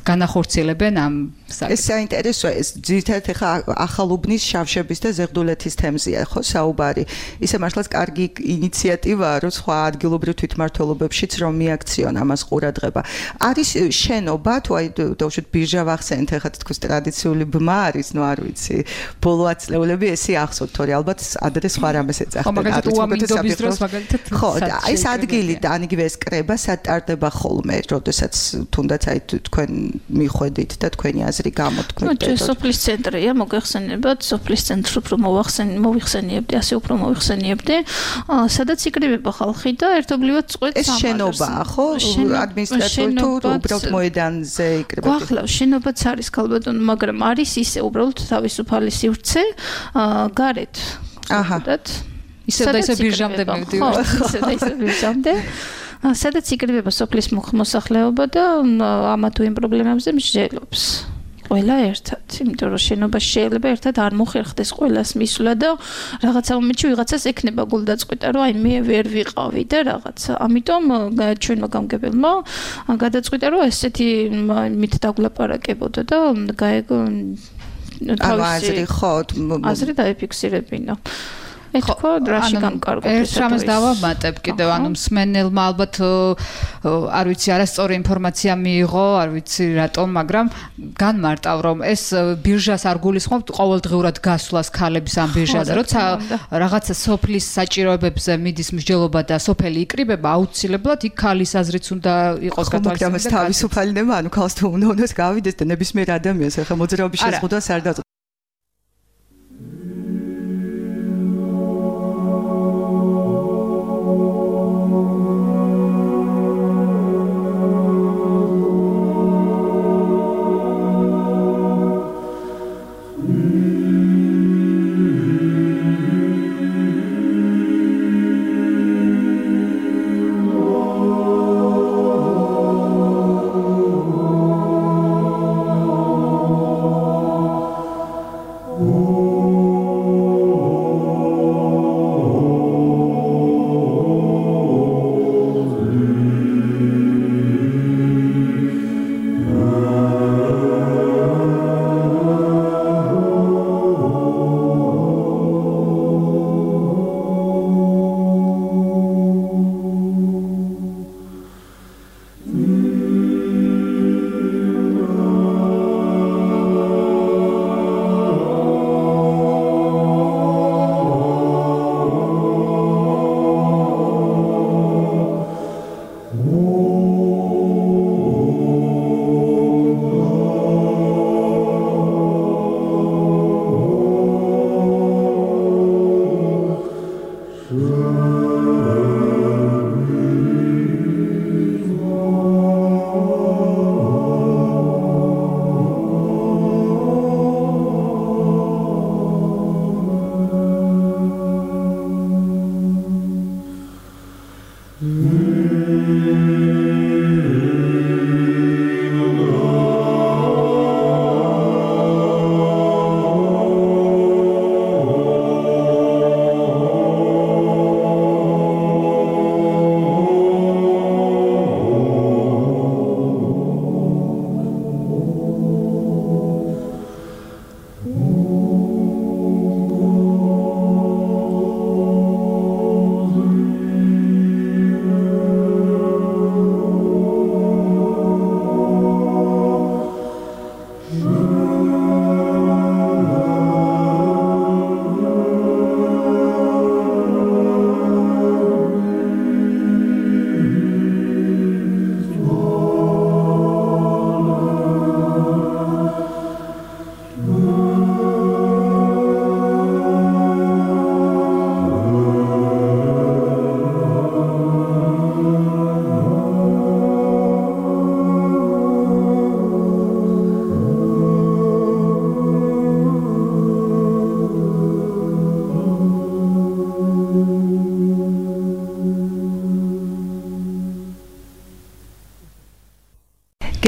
განახორციელებენ ამ
ეს საინტერესოა, ეს ძირითადად ახლა ახალუბნის შავშების და ზეგდულეთის თემზეა, ხო, საუბარი. ისე მართლაც კარგი ინიციატივაა, რომ სხვა ადგილობრივ თვითმმართველობებშიც რომ მიაქციონ ამას ყურადღება. არის შენობა, თუ აი დავუშვით ბირჟა ვახსენეთ, ახლა თქოს ტრადიციული ბმა არის, ნუ არ ვიცი, ბოლო ათწლეულები ესე ახსოვთ, თორე ალბათ ადრე სხვა რამეს ეძახდნენ.
ხო, მაგალითად უამინდობის დროს მაგალითად.
ხო, აი ეს ადგილი და ან იგივე ეს კრება სატარდება ხოლმე, როდესაც თუნდაც აი თქვენ მიხვედით და თქვენი აზრი გამოთქვით.
ნუ სოფლის ცენტრია, მოგეხსენებათ, სოფლის ცენტრს უფრო მოვიხსენიებდი, ასე უფრო მოვიხსენიებდი, სადაც იკრიბება ხალხი და ერთობლივად წყვეტს
ამას. ეს შენობაა, ხო? ადმინისტრაციული თუ უბრალოდ მოედანზე იკრიბება.
გვახლავს, შენობაც არის ქალბატონო, მაგრამ არის ისე უბრალოდ თავისუფალი სივრცე, გარეთ.
აჰა. ისე და ისე ბირჟამდე მივდივარ.
ისე და ისე ბირჟამდე. სადაც იკრიბება სოფლის მოსახლეობა და ამა თუ იმ პრობლემებზე მსჯელობს. ყველა ერთად, იმიტომ რომ შენობაში შეიძლება ერთად არ მოხერხდეს ყველას მისვლა და რაღაცა მომენტში ვიღაცას ექნება გულდაწყვეტა, რომ აი მე ვერ ვიყავი და რაღაცა. ამიტომ ჩვენმა გამგებელმა გადაწყვიტა, რომ ესეთი მით დაგვლაპარაკებოდა და
აზრი ხო,
აზრი დაიფიქსირებინა. ეთქო რაში გამკარგოთ
ეს რამეს დავამატებ კიდევ ანუ მსმენელმა ალბათ არ ვიცი არასწორი ინფორმაცია მიიღო არ ვიცი რატომ მაგრამ განმარტავ რომ ეს ბირჟას არ გულისხმობთ ყოველდღიურად გასვლას ქალების ამ ბირჟაზე როცა რაღაცა სოფლის საჭიროებებზე მიდის მსჯელობა და სოფელი იკრიბება აუცილებლად იქ ქალის აზრიც უნდა იყოს
გათვალისწინებული და თავისუფალინება ანუ ქალს თუ უნდა გავიდეს და ნებისმიერ ადამიანს ახლა მოძრაობის შეზღუდვას არ დაწყო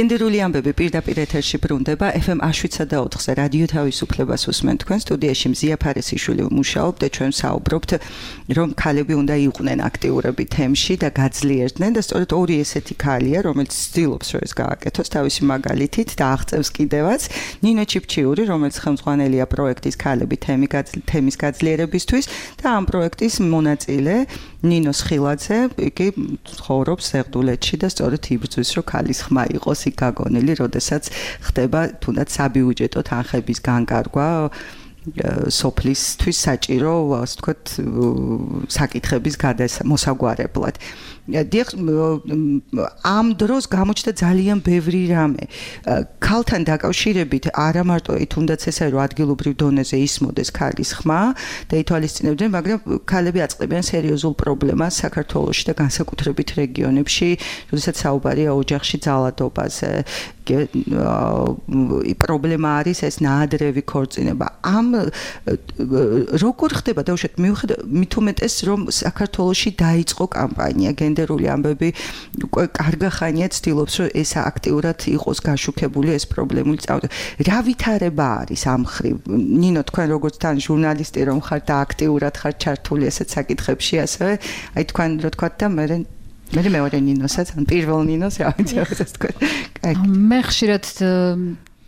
გენდერული ამბები პირდაპირ ეთერში ბრუნდება FM 107.4-ზე რადიო თავისუფლებას უსმენთ თქვენ სტუდიაში მზია ფარესიშვილი მუშაობ და ჩვენ საუბრობთ რომ ქალები უნდა იყვნენ აქტიურები თემში და გაძლიერდნენ და სწორედ ორი ესეთი ქალია რომელიც ცდილობს რომ ეს გააკეთოს თავისი მაგალითით და აღწევს კიდევაც ნინო ჩიფჩიური რომელიც ხელმძღვანელია პროექტის ქალები თემის გაძლიერებისთვის და ამ პროექტის მონაწილე ნინო სხილაძე იგი ცხოვრობს ზეღდულეთში და სწორედ იბრძვის რომ ქალის ხმა იყოს იქ გაგონილი, როდესაც ხდება თუნდაც საბიუჯეტო თანხების განკარგვა სოფლისთვის საჭირო, ასე ვთქვათ, საკითხების მოსაგვარებლად. ამ დროს გამოჩნდა ძალიან ბევრი რამე. ქალთან დაკავშირებით არა მარტო თუნდაც ესაა რომ ადგილობრივ დონეზე ისმოდეს ქალის ხმა და ითვალისწინებდნენ, მაგრამ ქალები აწყდებიან სერიოზულ პრობლემას საქართველოში და განსაკუთრებით რეგიონებში, როდესაც საუბარია ოჯახში ძალადობაზე. პრობლემა არის ეს ნაადრევი ქორწინება. ამ როგორ ხდება დაუშვათ მით უმეტეს რომ საქართველოში დაიწყო კამპანია გენდერული ამბები უკვე კარგი ხანია ცდილობს რომ ეს აქტიურად იყოს გაშუქებული ეს პრობლემული წავდა. რა ვითარება არის ამ ხრივ? ნინო თქვენ როგორც თან ჟურნალისტი რომ ხართ და აქტიურად ხართ ჩართული ესეთ საკითხებში ასევე აი თქვენ რო თქვათ და მე მეორე ნინოსაც ან პირველ ნინოს რა ვიცი ეს თქვენ.
მე ხშირად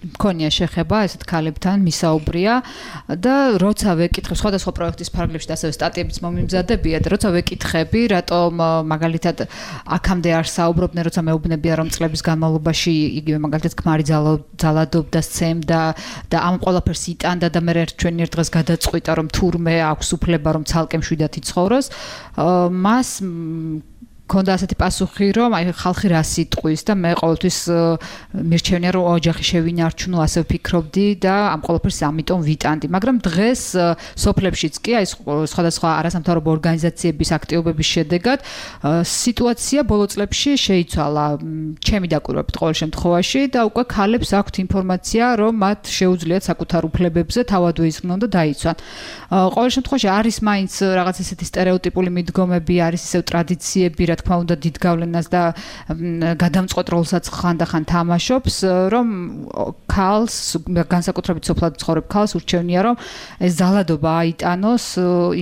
მქონია შეხება ესეთ ქალებთან მისაუბრია და როცა ვეკითხებ სხვადასხვა პროექტის ფარგლებში და ასევე სტატიებიც მომიმზადებია და როცა ვეკითხები რატომ მაგალითად აქამდე არ საუბრობდნენ როცა მეუბნებია რომ წლების განმავლობაში იგივე მაგალითად ქმარი ძალადობდა სცემდა და ამ ყველაფერს იტანდა და მე ჩვენი ერთ დღეს გადაწყვიტა რომ თურმე აქვს უფლება რომ ცალკე მშვიდად იცხოვროს მას ქონდა ასეთი პასუხი რომ აი ხალხი რა სიტყვის და მე ყოველთვის მირჩევნია რომ ოჯახი შევინარჩუნო ასე ვფიქრობდი და ამ ყველაფერს ამიტომ ვიტანდი მაგრამ დღეს სოფლებშიც კი აი სხვადასხვა არასამთავრობო ორგანიზაციების აქტივობების შედეგად სიტუაცია ბოლო წლებში შეიცვალა ჩემი დაკვირვებით ყოველ შემთხვევაში და უკვე ქალებს აქვთ ინფორმაცია რომ მათ შეუძლიათ საკუთარ უფლებებზე თავად უიზრნონ და დაიცვან ყოველ შემთხვევაში არის მაინც რაღაც ესეთი სტერეოტიპული მიდგომები არის ისევ ტრადიციები რა თქმა უნდა დიდ გავლენას და გადამწყვეტ როლსაც ხანდახან თამაშობს რომ ქალს განსაკუთრებით სოფლად ცხოვრებ ქალს ურჩევნია რომ ეს ძალადობა აიტანოს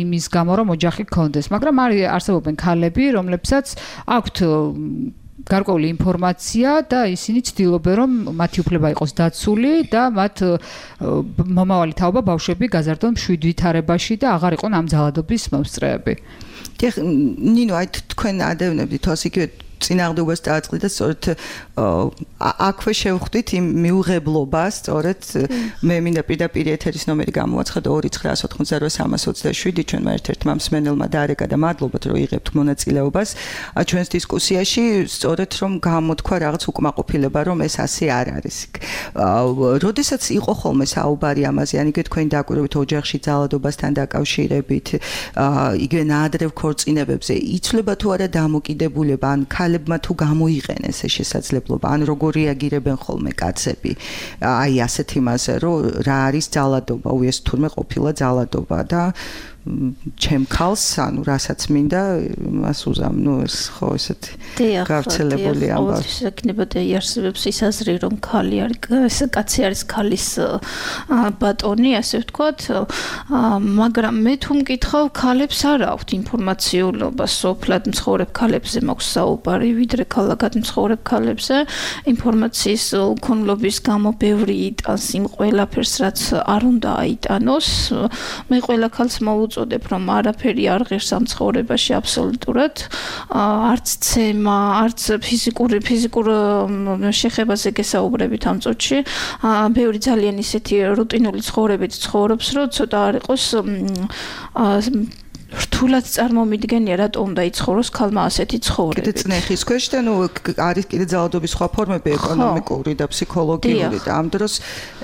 იმის გამო რომ ოჯახი გქონდეს მაგრამ არსებობენ ქალები რომლებსაც აქვთ გარკვეული ინფორმაცია და ისინი ცდილობენ რომ მათი უფლება იყოს დაცული და მათ მომავალი თაობა ბავშვები გაზარდონ მშვიდ ვითარებაში და აღარ იყვნენ ამ ძალადობის მომსწრეები.
ნინო, აი თქვენ ადევნებდით თავს იგივე წინააღმდეგობას დააწყდით და სწორედ აქვე შევხვდით იმ მიუღებლობას, სწორედ მე მინდა პირდაპირ ეთერის ნომერი გამოვაცხადო 2988327 ჩვენმა ერთ-ერთმა მსმენელმა დაარეკა და მადლობთ რომ იღებთ მონაწილეობას ჩვენს დისკუსიაში, სწორედ რომ გამოთქვა რაღაც უკმაყოფილება რომ ეს ასე არ არის. როდესაც იყო ხოლმე საუბარი ამაზე, ან იგივე თქვენი დაკვირვებით ოჯახში ძალადობასთან დაკავშირებით, იგივე ნაადრევ ქორწინებებზე, იცვლება თუ არა დამოკიდებულება ან ქალებმა თუ გამოიყენეს ეს შესაძლებლობა ან როგორ რეაგირებენ ხოლმე კაცები აი ასეთ იმაზე რომ რა არის ძალადობა უეს თურმე ყოფილა ძალადობა და ჩემ ქალს ანუ რასაც მინდა მას უზამ ნუ ეს ხო ესეთი გავრცელებული ამბავი
შეკნებოდა იარსებებს ის აზრი რომ ქალი არის კაცი არის ქალის ბატონი ასე ვთქვათ მაგრამ მე თუ მკითხავ ქალებს არ აქვთ ინფორმაციულობა სოფლად მცხოვრებ ქალებზე მაქვს საუბარი ვიდრე ქალაქად მცხოვრებ ქალებზე ინფორმაციის უქონლობის გამო ბევრი იტანს იმ ყველაფერს რაც არ უნდა აიტანოს მე ყველა ქალს უწოდებ რომ არაფერი არ ღირს ამ ცხოვრებაში აბსოლუტურად არც ცემა არც ფიზიკურ შეხებაზე გესაუბრებით ამ წუთში ბევრი ძალიან ისეთი რუტინული ცხოვრებით ცხოვრობს რომ ცოტა არ იყოს რთულად წარმომიდგენია რატომ უნდა იცხოვროს ქალმა ასეთი ცხოვრებით.
კიდე წნეხის ქვეშ და ნუ არის კიდე ძალადობის სხვა ფორმები ეკონომიკური და ფსიქოლოგიური და ამ დროს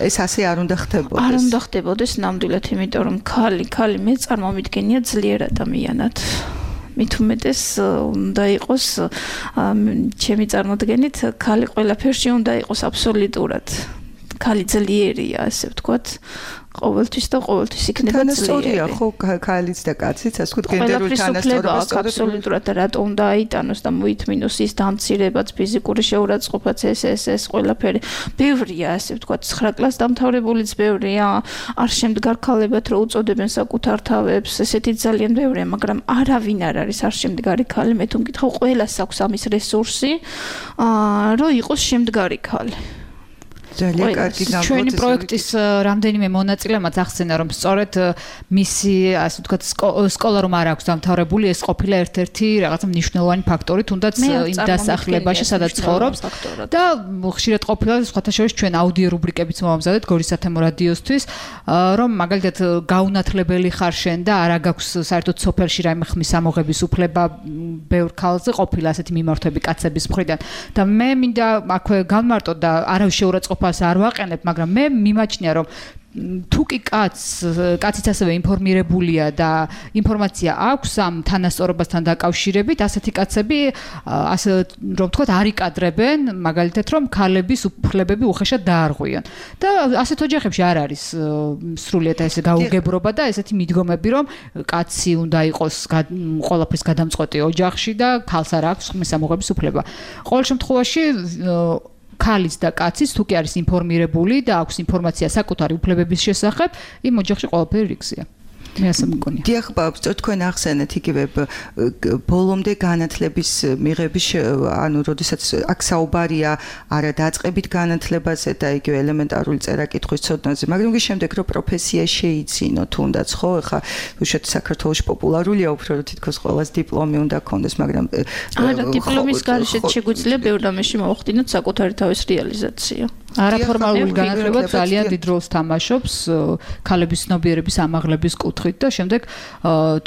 ეს ასე არ უნდა ხდებოდეს.
არ უნდა ხდებოდეს ნამდვილად, იმიტომ რომ ქალი მე წარმომიდგენია ძლიერ ადამიანად. მით უმეტეს უნდა იყოს ჩემი წარმოდგენით ქალი ყველაფერში უნდა იყოს აბსოლუტურად. ქალი ძლიერია, ასე ვთქვათ. ყოველთვის და ყოველთვის იქნება ძლიერი.
თანასწორია ხო ქალიც და კაციც, ასე ვთქვათ, გენდერული თანასწორობა
აბსოლუტურად და რატომ დააიტანოს და მოითმინოს ის დამცირებაც, ფიზიკური შეურაცხყოფაც ეს ყველაფერი. ბევრია, ასე ვთქვათ, 9 კლასს დამთავრებულიც ბევრია, არ შემდგარ ქალებად რო უწოდებენ საკუთარ თავებს, ესეთი ძალიან ბევრია, მაგრამ არავინ არ არის არ შემდგარი ქალი, მე თუ მკითხავ, ყველას აქვს ამის რესურსი, რომ იყოს შემდგარი ქალი.
ძალიან კარგი გამოცდილება.
ჩვენი პროექტის რამდენიმე მონაწილე მათ ახსენა, რომ სწორედ მისი, ასე ვთქვათ, სკოლა რომ არ აქვს დამთავრებული, ეს ყოფილა ერთ-ერთი რაღაცა მნიშვნელოვანი ფაქტორი, თუნდაც იმ დასახლებაში, სადაც ცხოვრობს და ხშირად ყოფილა სხვათა შორის ჩვენ აუდიო რუბრიკებიც მოვამზადეთ გორის სათემო რადიოსთვის, რომ მაგალითად გაუნათლებელი ხარ შენ და არა გაქვს საერთოდ სოფელში რაიმე ხმის ამოღების უფლება ბევრ ქალზე ყოფილა ასეთი მიმართვები კაცების მხრიდან და მე მინდა აქვე განმარტო და არავის შეურაცხყოფა არ ვაყენებ, მაგრამ მე მიმაჩნია, რომ თუ კი კაციც ასევე ინფორმირებულია და ინფორმაცია აქვს ამ თანასწორობასთან დაკავშირებით, ასეთი კაცები, ასე რომ ვთქვათ, არ იკადრებენ, მაგალითად, რომ ქალების უფლებები უხეშად დაარღვიონ. და ასეთ ოჯახებში არ არის სრულიად ესე გაუგებრობა და ესეთი მიდგომები, რომ კაცი უნდა იყოს ყველაფრის გადამწყვეტი ოჯახში და ქალს არ აქვს ხმის ამოღების უფლება. ყოველ შემთხვევაში ქალის და კაცის თუ კი არის ინფორმირებული და აქვს ინფორმაცია საკუთარი უფლებების შესახებ, იმ ოჯახში ყველაფერი რიგზია. მე ასე მგონია.
დიახ, ბაბწო, თქვენ ახსენეთ იგივე ბოლომდე განათლების მიღების, ანუ როდესაც აქ საუბარია არა დაწყებით განათლებაზე და იგივე ელემენტარული წერა-კითხვის ცოდნაზე, მაგრამ კი შემდეგ რომ პროფესია შეიცინო თუნდაც, ხო, ეხა უშუალოდ საქართველოში პოპულარულია უფრო რომ თითქოს ყველას დიპლომი უნდა ქონდეს, მაგრამ
არა, დიპლომის გარეშე შეგვიძლია ბევრ რამეში მოვხდინოთ საკუთარი თავის რეალიზაცია.
არაფორმალური განათლება ძალიან დიდ როლს თამაშობს ქალების ცნობიერების ამაღლების კუთხით და შემდეგ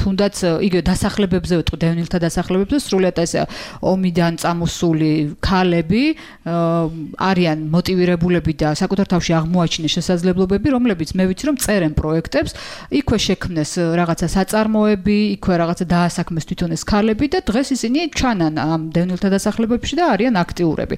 თუნდაც იგივე დასახლებებზე ვეთქვი, დევნილთა დასახლებებზე სრულიად ესე ომიდან წამოსული ქალები არიან მოტივირებულები და საკუთარ თავში აღმოაჩინეს შესაძლებლობები, რომლებიც მე ვიცი რომ წერენ პროექტებს, იქვე შექმნეს რაღაცა საწარმოები, იქვე რაღაცა დაასაქმეს თვითონ ეს ქალები და დღეს ისინი ჩანან ამ დევნილთა დასახლებებში და არიან აქტიურები.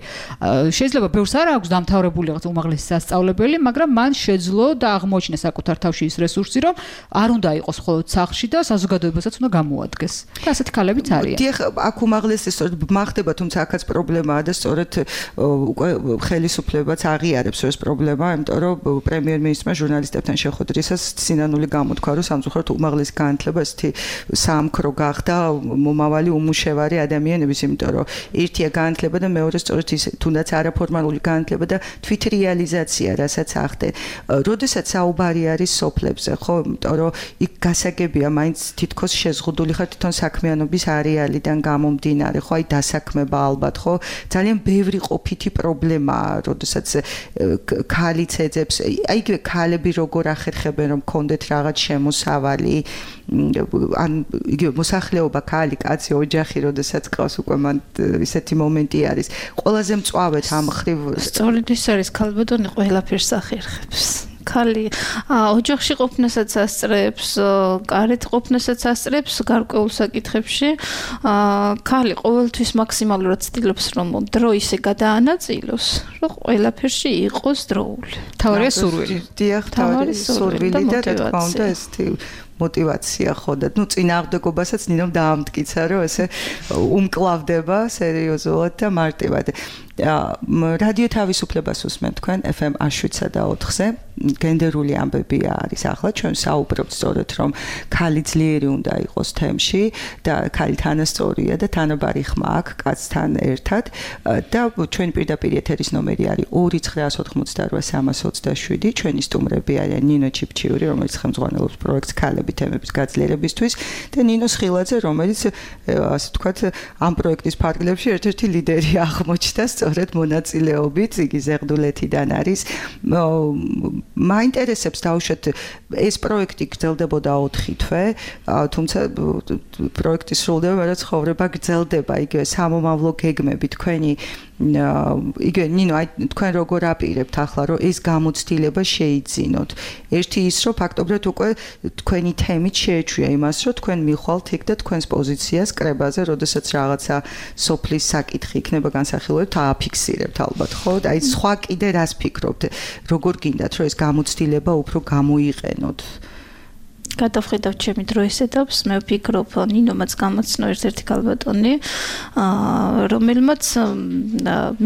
შეიძლება ბევრს არ აქვს დამთავრებული რაღაც უმაღლესი სასწავლებელი, მაგრამ მან შეძლო და აღმოაჩინა საკუთარ თავში ის რესურსი, რომ არ უნდა იყოს მხოლოდ სახლში და საზოგადოებასაც უნდა გამოადგეს. და ასეთი ქალებიც არიან.
დიახ, აქ უმაღლესი სწორედ მახდება, თუმცა აქაც პრობლემაა და სწორედ უკვე ხელისუფლებაც აღიარებს ეს პრობლემა, იმიტომ რომ პრემიერ-მინისტრმა ჟურნალისტებთან შეხვედრისას სინანული გამოთქვა, რომ სამწუხაროდ უმაღლესი განათლება ესეთი საამქრო გახდა მომავალი უმუშევარი ადამიანების, იმიტომ რომ ერთია განათლება და მეორე სწორედ ის თუნდაც არაფორმალური განათლება და თვითრეალიზაცია, რასაც ახდენ. როდესაც საუბარი არის სოფლებზე, ხო, იმიტომ რომ იქ გასაგებია, მაინც თითქოს შეზღუდული ხარ თვითონ საქმიანობის არეალიდან გამომდინარე, ხო, აი დასაქმება ალბათ, ხო, ძალიან ბევრი ყოფითი პრობლემაა, როდესაც ქალიც ეძებს, აი იგივე ქალები როგორ ახერხებენ, რომ კონდეთ რაღაც შემოსავალი, ან იგივე მოსახლეობა, ქალი, კაცი, ოჯახი, როდესაც ყავს უკვე მან ისეთი მომენტი არის. ყველაზე მწვავედ ამ ხრივ
სწორედ ის არის ქალბატონი ყველაფერს ახერხებს. ქალი ოჯახში ყოფნასაც ასწრებს, გარეთ ყოფნასაც ასწრებს გარკვეულ საკითხებში. ქალი ყოველთვის მაქსიმალურად ცდილობს, რომ დრო ისე გადაანაწილოს, რომ ყველაფერში იყოს დროული.
თავარია სურვილი.
დიახ, თავარია სურვილი და რა თქმა უნდა ესეთი мотивация ხო და ნუ წინააღმდეგობასაც ნინომ დაამტკიცა რომ ესე უმკლავდება სერიოზულად და მარტივად. რადიო თავისუფლებას უსმენთ თქვენ FM 107.4-ზე. გენდერული ამბები არის ახლა ჩვენ საუბრობთ სწორედ რომ ქალი ძლიერი უნდა იყოს თემში და ქალი თანასწორია და თანაბარი ხმა აქვს კაცთან ერთად და ჩვენი პირდაპირ ეთერის ნომერი არის 2988327. ჩვენი სტუმრები არიან ნინო ჩიფჩიური, რომელიც ხელმძღვანელობს პროექტს ქალები თემების გაძლიერებისთვის და ნინო სხილაძე, რომელიც ასე ვთქვათ ამ პროექტის ფარგლებში ერთ-ერთი ლიდერი აღმოჩნდა სწორედ მონაწილეობით, იგი ზეღდულეთიდან არის. მაინტერესებს დავუშვათ ეს პროექტი გრძელდებოდა 4 თვე, თუმცა პროექტი სრულდება, მაგრამ ცხოვრება გრძელდება, იგივე სამომავლო გეგმები თქვენი იგივე ნინო აი თქვენ როგორ აპირებთ ახლა რომ ეს გამოცდილება შეიძინოთ ერთი ის რომ ფაქტობრივად უკვე თქვენი თემით შეეჩვია იმას რომ თქვენ მიხვალთ იქ და თქვენს პოზიციას კრებაზე როდესაც რაღაცა სოფლის საკითხი იქნება განსახილვებთ ააფიქსირებთ ალბათ ხო აი სხვა კიდე რას ფიქრობთ როგორ გინდათ რომ ეს გამოცდილება უფრო გამოიყენოთ
გადავხედავ ჩემი დროის ეტაპს მე ვფიქრობ ნინომაც გამოცნო ერთ-ერთი ქალბატონი რომელმაც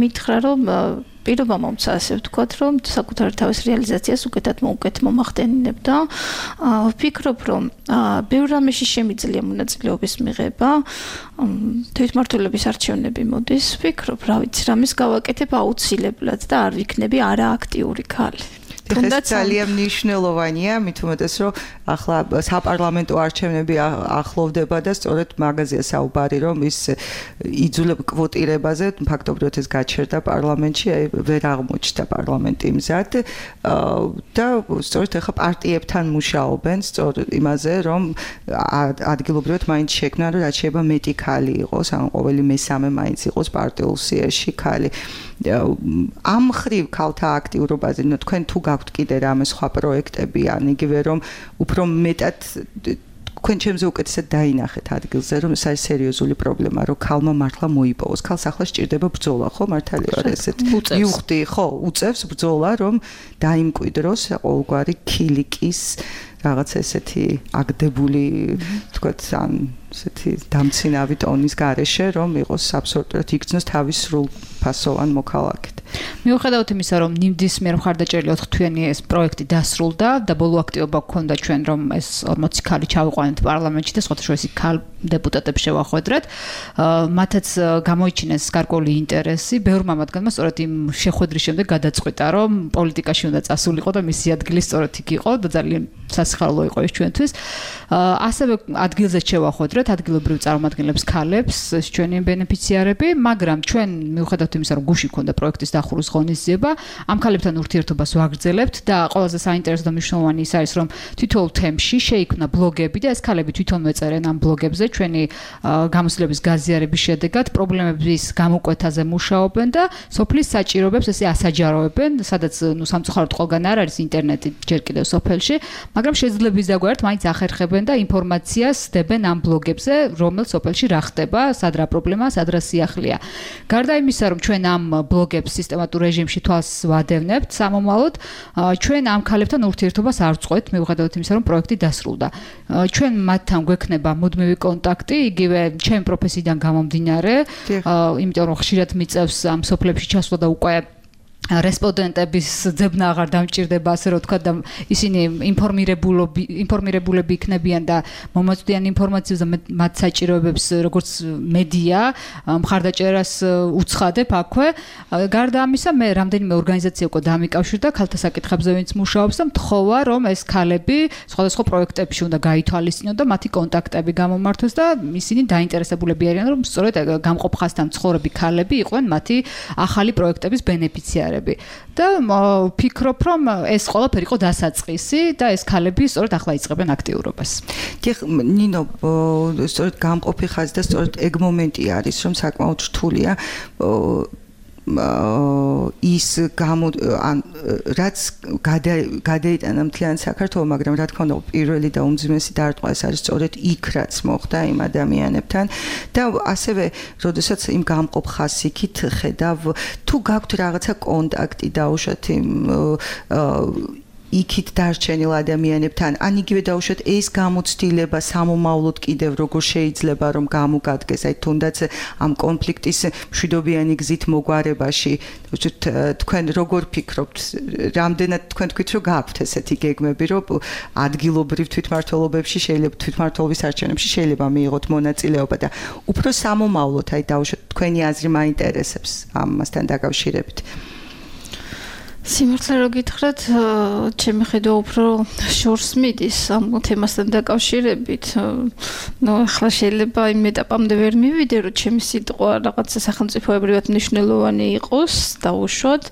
მითხრა რომ პირობა მომცა ასე ვთქვათ რომ საკუთარი თავის რეალიზაციას უკეთად მომახდენიებდა ვფიქრობ რომ ბევრ რამეში შემიძლია მონაწილეობის მიღება თვითმმართველობის არჩევნები მოდის ვფიქრობ რა ვიცი რამის გავაკეთებ აუცილებლად და არ ვიქნები არააქტიური ქალი
თუნდაც ძალიან მნიშვნელოვანია მით უმეტეს რომ ახლა საპარლამენტო არჩევნები ახლოვდება და სწორედ მაგაზია საუბარი რომ ის იძულებ კვოტირებაზე ფაქტობრივად ეს გაჩერდა პარლამენტში აი ვერ აღმოჩნდა პარლამენტი მზად და სწორედ ახლა პარტიებთან მუშაობენ სწორედ იმაზე რომ ადგილობრივად მაინც შექმნან რომ რაც შეიძლება მეტი ქალი იყოს ან ყოველი მესამე მაინც იყოს პარტიულ სიაში ქალი ამ ხრივ ქალთა აქტიურობაზე თქვენ თუ გაქვთ კიდე რამე სხვა პროექტები ან იგივე რომ უფრო მეტად თქვენ ჩემზე უკეთესად დაინახეთ ადგილზე რომ ეს არის სერიოზული პრობლემა რომ ქალმა მართლა მოიპოვოს ქალს ახლა სჭირდება ბრძოლა ხო მართალია რა ესეთ მივხვდი ხო უწევს ბრძოლა რომ დაიმკვიდროს ყოველგვარი ქილიკის რაღაც ესეთი აგდებული თქვათ ან ესეთი დამცინავი ტონის გარეშე რომ იყოს აბსოლუტურად იქცნოს თავის სრულ ფასოვან მოქალაქედ
მიუხედავად იმისა რომ ნიმდის მიერ მხარდაჭერილი 4 თვიანი ეს პროექტი დასრულდა და ბოლო აქტივობა გქონდა ჩვენ რომ ეს 40 ქალი ჩავიყვანეთ პარლამენტში და სხვადასხვა ქალ დეპუტატებს შევახვედრეთ მათაც გამოიჩინეს გარკვეული ინტერესი ბევრმა მათგანმა სწორედ იმ შეხვედრის შემდეგ გადაწყვიტა რომ პოლიტიკაში უნდა წასულიყო და მისი ადგილი სწორედ იქ იყო და ძალიან სასიხარულო იყო ეს ჩვენთვის ასევე ადგილზე შევახვედრეთ ადგილობრივ წარმომადგენლებს ქალებს ჩვენი ბენეფიციარები მაგრამ ჩვენ მიუხედავად იმისა რომ გუში ქონდა პროექტის დახურვის ღონისძიება ამ ქალებთან ურთიერთობას ვაგრძელებთ და ყველაზე საინტერესო და მნიშვნელოვანი ის არის რომ თითოეულ თემში შეიქმნა ბლოგები და ეს ქალები თვითონ მეწერენ ამ ბლოგებზე ჩვენი გამოცდილების გაზიარების შედეგად პრობლემების გამოკვეთაზე მუშაობენ და სოფლის საჭიროებებს ესე ასაჯაროებენ სადაც ნუ სამწუხაროდ ყველგან არ არის ინტერნეტი ჯერ კიდევ სოფელში მაგრამ შეძლების დაგვართ მაინც ახერხებენ და ინფორმაციას დებენ ამ ბლოგებზე რომელ სოფელში რა ხდება სად რა პრობლემაა სად რა სიახლეა გარდა იმისა რომ ჩვენ ამ ბლოგებს სისტემატურ რეჟიმში თვალს ვადევნებთ სამომავლოდ ჩვენ ამ ქალებთან ურთიერთობას არ ვწყვეტ მიუხედავად იმისა რომ პროექტი დასრულდა ჩვენ მათთან გვექნება მუდმივი კონტაქტი იგივე ჩემ პროფესიიდან გამომდინარე იმიტომ რომ ხშირად მიწევს ამ სოფლებში ჩასვლა და უკვე რესპონდენტების ძებნა აღარ დამჭირდება ასე რომ თქვა და ისინი ინფორმირებულები იქნებიან და მომაწვდიან ინფორმაციას და მათ საჭიროებებს როგორც მედია მხარდაჭერას უცხადებ აქვე გარდა ამისა მე რამდენიმე ორგანიზაცია უკვე დამიკავშირდა ქალთა საკითხებზე ვინც მუშაობს და მთხოვა რომ ეს ქალები სხვადასხვა პროექტებში უნდა გაითვალისწინონ და მათი კონტაქტები გამომართოს და ისინი დაინტერესებულები არიან რომ სწორედ გამყოფ ხაზთან მცხოვრები ქალები იყვნენ მათი ახალი პროექტების ბენეფიციარები და ვფიქრობ რომ ეს ყველაფერი იყო დასაწყისი და ეს ქალები სწორედ ახლა იწყებენ აქტიურობას.
დიახ ნინო სწორედ გამყოფი ხაზი და სწორედ ეგ მომენტი არის რომ საკმაოდ რთულია ის რაც გადაიტანა მთლიან საქართველოს მაგრამ რა თქმა უნდა პირველი და უმძიმესი დარტყმა ეს არის სწორედ იქ რაც მოხდა იმ ადამიანებთან და ასევე როდესაც იმ გამყოფ ხაზით ხედავ თუ გაქვთ რაღაცა კონტაქტი დაუშვათ იმ იქით დარჩენილ ადამიანებთან ან იგივე დაუშვათ ეს გამოცდილება სამომავლოდ კიდევ როგორ შეიძლება რომ გამოგადგეს აი თუნდაც ამ კონფლიქტის მშვიდობიანი გზით მოგვარებაში თქვენ როგორ ფიქრობთ რამდენად თქვენ თქვით რომ გაქვთ ესეთი გეგმები რომ ადგილობრივ თვითმმართველობებში შეიძლება თვითმმართველობის არჩევნებში შეიძლება მიიღოთ მონაწილეობა და უფრო სამომავლოდ აი დაუშვათ თქვენი აზრი მაინტერესებს ამასთან დაკავშირებით
სიმართლე რო გითხრათ, ჩემი ხედვა უფრო შორს მიდის ამ თემასთან დაკავშირებით. ნუ ახლა შეიძლება იმ ეტაპამდე ვერ მივიდე, რომ ჩემი სიტყვა რაღაცა სახელმწიფოებრივად მნიშვნელოვანი იყოს, დაუშვათ.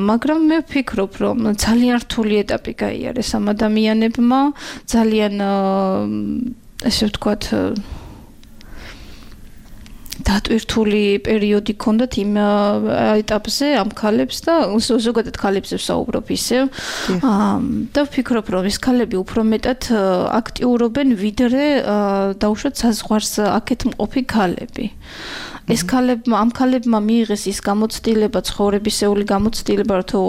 მაგრამ მე ვფიქრობ, რომ ძალიან რთული ეტაპი გაიარეს ამ ადამიანებმა, ძალიან ესე ვთქვათ დატვირთული პერიოდი ჰქონდათ იმ ეტაპზე ამ ქალებს და ზოგადად ქალებზე ვსაუბრობ ისევ და ვფიქრობ რომ ეს ქალები უფრო მეტად აქტიურობენ ვიდრე დაუშვათ საზღვარს აქეთ მყოფი ქალები ეს ამ ქალებმა მიიღეს ის გამოცდილება, ცხოვრებისეული გამოცდილება, თუ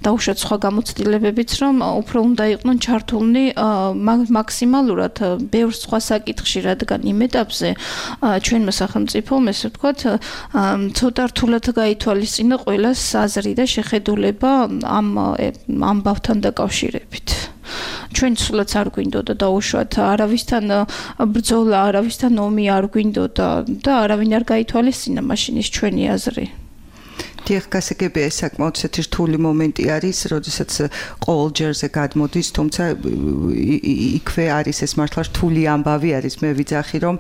დაუშვათ სხვა გამოცდილებებიც, რომ უფრო უნდა იყვნენ ჩართულნი მაქსიმალურად ბევრ სხვა საკითხში, რადგან იმ ეტაპზე ჩვენმა სახელმწიფომ, ესე ვთქვათ, ცოტა რთულად გაითვალისწინა ყველას აზრი და შეხედულება ამ ამბავთან დაკავშირებით. ჩვენ სულაც არ გვინდოდა დაუშვათ არავისთან ბრძოლა, არავისთან ომი არ გვინდოდა და არავინ არ გაითვალისწინა მაშინ ის ჩვენი აზრი.
დიახ, გასაგებია ეს საკმაოდ ისეთი რთული მომენტი არის, როდესაც ყოველ ჯერზე გადმოდის, თუმცა იქვე არის ეს მართლა რთული ამბავი არის. მე ვიძახი რომ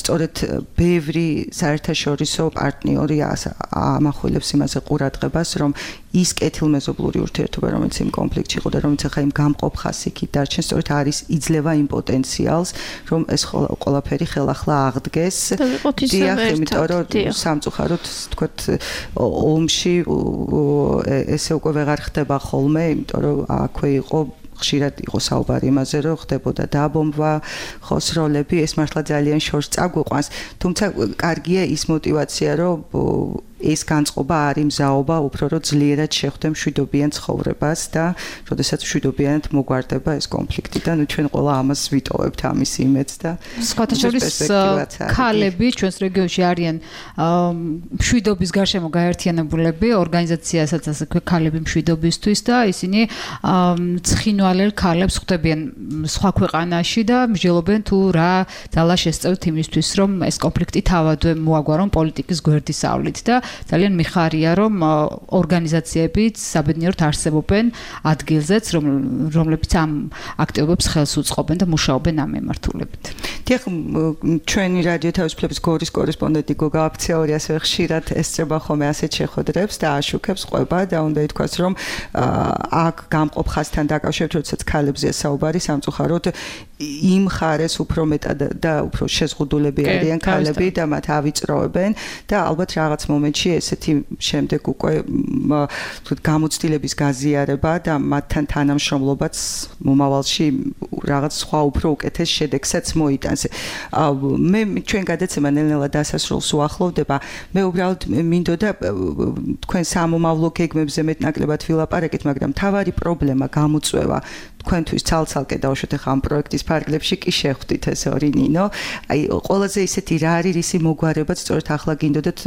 სწორედ ბევრი საერთაშორისო პარტნიორი ამახვილებს იმაზე ყურადღებას, რომ ის კეთილმეზობლური ურთიერთობა, რომელიც იმ კონფლიქტში იყო და რომელიც ახლა იმ გამყოფ ხასიათით დარჩენს, სწორედ არის იძლევა იმ პოტენციალს, რომ ეს ყველაფერი ხელახლა აღდგეს.
დიახ,
იმიტომ რომ სამწუხაროდ თქვათ ომში ესე უკვე ვეღარ ხდება ხოლმე, იმიტომ რომ აქვე იყო ხშირად იყო საუბარი იმაზე, რომ ხდებოდა დაბომბვა, ხოსროლები, ეს მართლა ძალიან შორს წაგვიყვანს, თუმცა კარგია ის мотиваცია, რომ ეს განწყობა არის მზაობა, უფრო რომ ძლიერად შეხვდე მშვიდობიან ცხოვრებას და როდესაც მშვიდობიანად მოგვარდება ეს კონფლიქტი და ნუ ჩვენ ყველა ამას ვიტოვებთ ამის იმედს და
სხვათა შორის ქალები ჩვენს რეგიონში არიან მშვიდობის გარშემო გაერთიანებულები ორგანიზაციასაც ასე ქალები მშვიდობისთვის და ისინი ცხინვალელ ქალებს ხვდებიან სხვა ქვეყანაში და მსჯელობენ თუ რა ძალა შესწევთ იმისთვის რომ ეს კონფლიქტი თავადვე მოაგვარონ პოლიტიკის გვერდისავლით და ძალიან მიხარია რომ ორგანიზაციებიც საბედნიეროდ არსებობენ ადგილზეც რომლებიც ამ აქტივობებს ხელს უწყობენ და მუშაობენ ამ მიმართულებით.
დიახ, ჩვენი რადიო თავისუფლების გორის კორესპონდენტი გოგა აფციური ასევე ხშირად ესწრება ხოლმე ასეთ შეხვედრებს და აშუქებს ყვება და უნდა ითქვას რომ აქ გამყოფ ხასთან დაკავშირებით როდესაც ქალებზეა საუბარი სამწუხაროდ იმ ხარეს უფრო მეტად და უფრო შეზღუდულები არიან ქალები და მათ ავიწროებენ და ალბათ რაღაც მომენტში ესეთი შემდეგ უკვე გამოცდილების გაზიარება და მათთან თანამშრომლობაც მომავალში რაღაც სხვა უფრო უკეთეს შედეგსაც მოიტანს. მე ჩვენ გადაცემა ნელ-ნელა დასასრულს უახლოვდება. მე უბრალოდ მინდოდა თქვენ სამომავლო გეგმებზე მეტნაკლებად ვილაპარაკეთ, მაგრამ თავარი პრობლემა გამოწვევა თქვენთვის ცალ-ცალკე დავუშვათ ახლა ამ პროექტის ფარგლებში კი შეხვდით ეს ორი ნინო. აი ყველაზე ისეთი რა არის ისი მოგვარებაც სწორედ ახლა გინდოდათ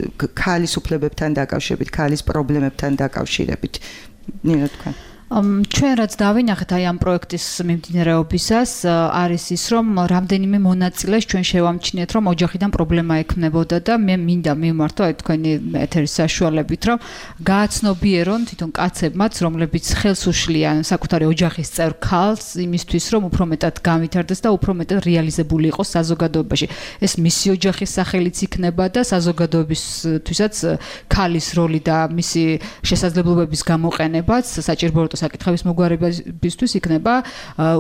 ქალის უფლებებთან დაკავშირებით, ქალის პრობლემებთან დაკავშირებით. ნინო თქვენ
ჩვენ რაც დავინახეთ აი ამ პროექტის მიმდინარეობისას არის ის რომ რამდენიმე მონაწილეს ჩვენ შევამჩნიეთ რომ ოჯახიდან პრობლემა ექნებოდა და მე მინდა მივმართო აი თქვენი ეთერის საშუალებით რომ გააცნობიერონ თვითონ კაცებმაც რომლებიც ხელს უშლიან საკუთარი ოჯახის წევრ ქალს იმისთვის რომ უფრო მეტად გავითარდეს და უფრო მეტად რეალიზებული იყოს საზოგადოებაში ეს მისი ოჯახის სახელიც იქნება და საზოგადოებისთვისაც ქალის როლი და მისი შესაძლებლობების გამოყენებაც საჭირო საკითხების მოგვარებისთვის იქნება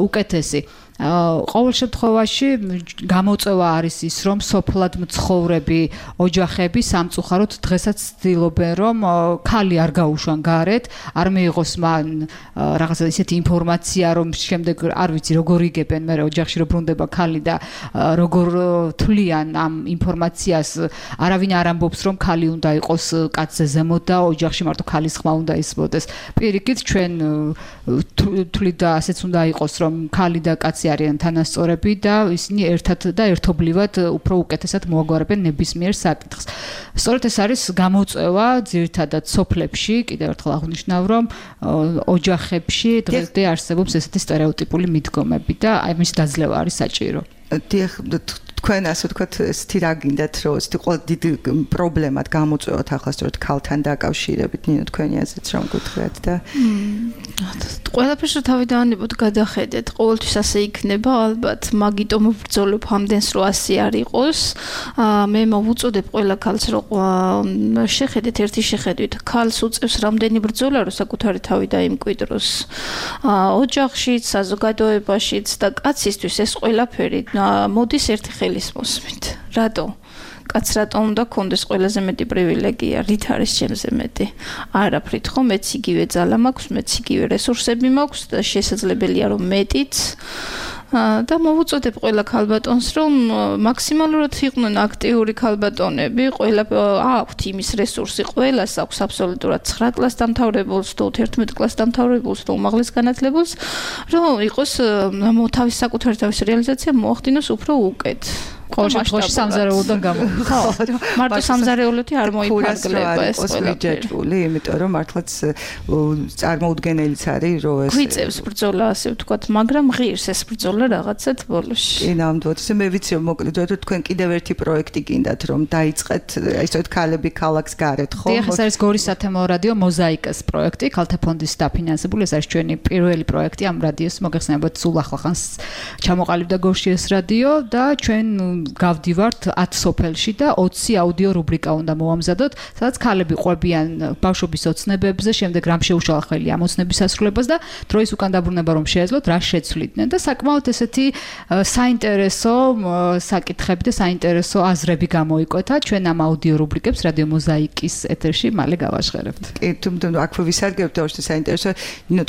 უკეთესი. ყოველ შემთხვევაში გამოწვევა არის ის რომ სოფლად მცხოვრები ოჯახები სამწუხაროდ დღესაც ცდილობენ რომ ქალი არ გაუშვან გარეთ, არ მიიღოს მან რაღაცა ისეთი ინფორმაცია რომ შემდეგ არ ვიცი როგორ იგებენ მე ოჯახში რომ ბრუნდება ქალი და როგორ თვლიან ამ ინფორმაციას არავინ არ ამბობს რომ ქალი უნდა იყოს კაცზე ზემოთ და ოჯახში მარტო ქალის ხმა უნდა ისმოდეს. პირიქით ჩვენ თვლით და ასეც უნდა იყოს რომ ქალი და კაცი არიან თანასწორები და ისინი ერთად და ერთობლივად უფრო უკეთესად მოაგვარებენ ნებისმიერ საკითხს. სწორედ ეს არის გამოწვევა ძირითადად სოფლებში, კიდევ ერთხელ აღნიშნავ რომ ოჯახებში დღესდღე არსებობს ესეთი სტერეოტიპული მიდგომები და ამის დაძლევა არის საჭირო.
თქვენ ასე ვთქვათ ესეთი რა გინდათ რომ ესეთი ყველა დიდი პრობლემად გამოწვევათ ახლა სწორედ ქალთან დაკავშირებით ნინო თქვენი აზრით რომ გითხრათ და
ყველაფერს თავი დავანებოთ გადახედეთ ყოველთვის ასე იქნება ალბათ მაგიტომ ვბრძოლობ ამდენს რომ ასე არ იყოს მე მოვუწოდებ ყველა ქალს რომ შეხედეთ ერთი შეხედვით ქალს უწევს რამდენი ბრძოლა რომ საკუთარი თავი დაიმკვიდროს ოჯახშიც საზოგადოებაშიც და კაცისთვის ეს ყველაფერი მოდის ერთი ხელის მოსმით რატო კაც რატომ უნდა კონდეს ყველაზე მეტი პრივილეგია, რით არის ჩემზე მეტი? არაფრით ხო, მეც იგივე ძალა მაქვს, მეც იგივე რესურსები მაქვს და შესაძლებელია რომ მეტიც და მოვუწოდებ ყველა ქალბატონს რომ მაქსიმალურად იყვნენ აქტიური ქალბატონები, ყველა აქვთ იმის რესურსი, ყველას აქვს აბსოლუტურად 9 კლას დამთავრებულს, თუ 11 კლას დამთავრებულს, თუ უმაღლეს განათლებულს, რომ იყოს თავის საკუთარი თავის რეალიზაცია მოახდინოს უფრო უკეთ.
ყოველ შემთხვევაში სამზარეულოდან
ხო, მარტო სამზარეულოთი არ მოიფარგლება ეს
ყველაფერი, იმიტომ რომ მართლაც წარმოუდგენელიც არის რომ ეს
გვიწევს ბრძოლა ასე ვთქვათ, მაგრამ ღირს ეს ბრძოლა რაღაცად ბოლოში.
კი, ნამდვილად. მე ვიცი რომ მოკლედ რომ თქვენ კიდევ ერთი პროექტი გინდათ რომ დაიწყეთ, ისეთ ქალები ქალაქს გარეთ, ხო?
დიახ, ეს არის გორის სათემო რადიო მოზაიკას პროექტი, ქალთა ფონდის დაფინანსებული, ეს არის ჩვენი პირველი პროექტი ამ რადიოს მოგეხსენებათ სულ ახლახანს ჩამოყალიბდა გორში ეს რადიო და ჩვენ გავდივართ 10 სოფელში და 20 აუდიო რუბრიკა უნდა მოვამზადოთ, სადაც ქალები ყვებიან ბავშვობის ოცნებებზე, შემდეგ რამ შეუშალა ხელი ამ ოცნების ასრულებას და დროის უკან დაბრუნება რომ შეეძლოთ, რა შეცვლიდნენ და საკმაოდ ესეთი საინტერესო საკითხები და საინტერესო აზრები გამოიკვეთა ჩვენ ამ აუდიო რუბრიკებს რადიო მოზაიკის ეთერში მალე გავაჟღერებთ.
კი, თუმცა აქვე ვისარგებთ და საინტერესო,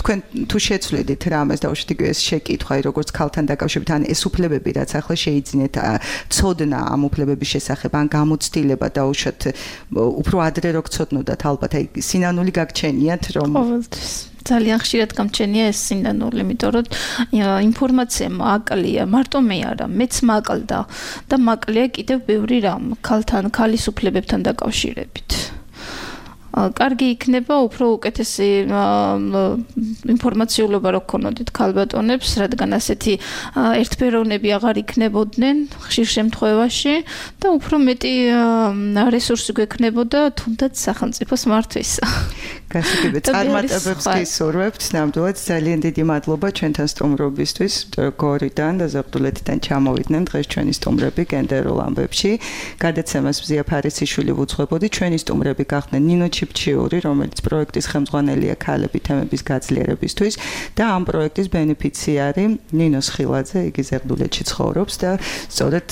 თქვენ თუ შეცვლიდით რამეს და უშედეგ ეს შეკითხვა, როგორც ქალთან დაკავშირებით, ან ეს უფლებები რაც ახლა შეიძინეთ ცოდნა ამ უფლებების შესახებ, ან გამოცდილება და უშოთ უფრო ადრე რო გცოდნოდათ, ალბათ აი სინანული გაგჩენიათ რომ
ყოველთვის ძალიან ხშირად გამჩენია ეს სინანული, იმიტომ რომ ინფორმაცია მაკლია, მარტო მე არა, მეც მაკლდა და მაკლია კიდევ ბევრი რამ ქალის უფლებებთან დაკავშირებით. კარგი იქნება უფრო უკეთესი ინფორმაციულობა რო გქონოდით ქალბატონებს, რადგან ასეთი ერთფეროვნები აღარ იქნებოდნენ ხშირ შემთხვევაში და უფრო მეტი რესურსი გვექნებოდა თუნდაც სახელმწიფოს მართვისა.
გასაგებია, წარმატებებს გისურვებთ, ნამდვილად ძალიან დიდი მადლობა ჩვენთან სტუმრობისთვის, გორიდან და ზებდულეთიდან ჩამოვიდნენ დღეს ჩვენი სტუმრები გენდერულ ამბებში. გადაცემას მზია ფარისიშვილი ვუძღვებოდი, ჩვენი სტუმრები გახდნენ ნინო ჩიფჩიური, რომელიც პროექტის ხელმძღვანელია ქალები თემების გაძლიერებისთვის და ამ პროექტის ბენეფიციარი ნინო სხილაძე, იგი ზებდულეთში ცხოვრობს და სწორედ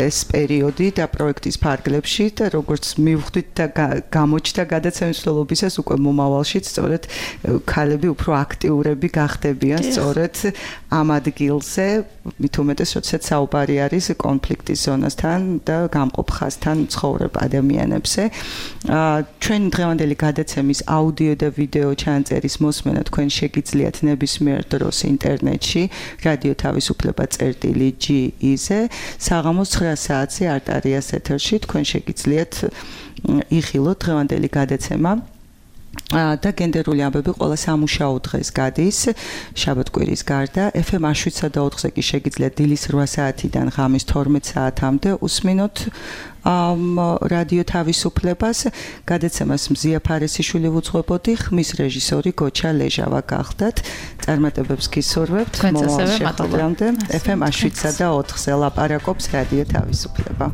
ეს პერიოდი და პროექტის ფარგლებში და როგორც მივხვდით და გამოჩნდა გადაცემის მსვლელობისას უკვე მომავალში სწორედ ქალები უფრო აქტიურები გახდებიან სწორედ ამ ადგილზე, მით უმეტეს როდესაც საუბარი არის კონფლიქტის ზონასთან და გამყოფ ხაზთან ცხოვრებ ადამიანებზე. ჩვენი დღევანდელი გადაცემის აუდიო და ვიდეო ჩანწერის მოსმენა თქვენ შეგიძლიათ ნებისმიერ დროს ინტერნეტში რადიო თავისუფლება.gi-ზე საღამოს 9 საათზე არტარიას ეთერში თქვენ შეგიძლიათ იხილოთ დღევანდელი გადაცემა და გენდერული ამბები ყველა სამუშაო დღეს გადის შაბათ-კვირის გარდა FM 7.4-ზე კი შეგიძლიათ დილის 8 საათიდან ღამის 12 საათამდე უსმინოთ რადიო თავისუფლებას. გადაცემას მზია ფარისიშვილი ვუძღვებოდი, ხმის რეჟისორი გოჩა ლეჟავა გახდათ. წარმატებებს გისურვებთ.
მომავალ შეხვედრამდე
FM 7.4-ზე ლაპარაკობს რადიო თავისუფლება.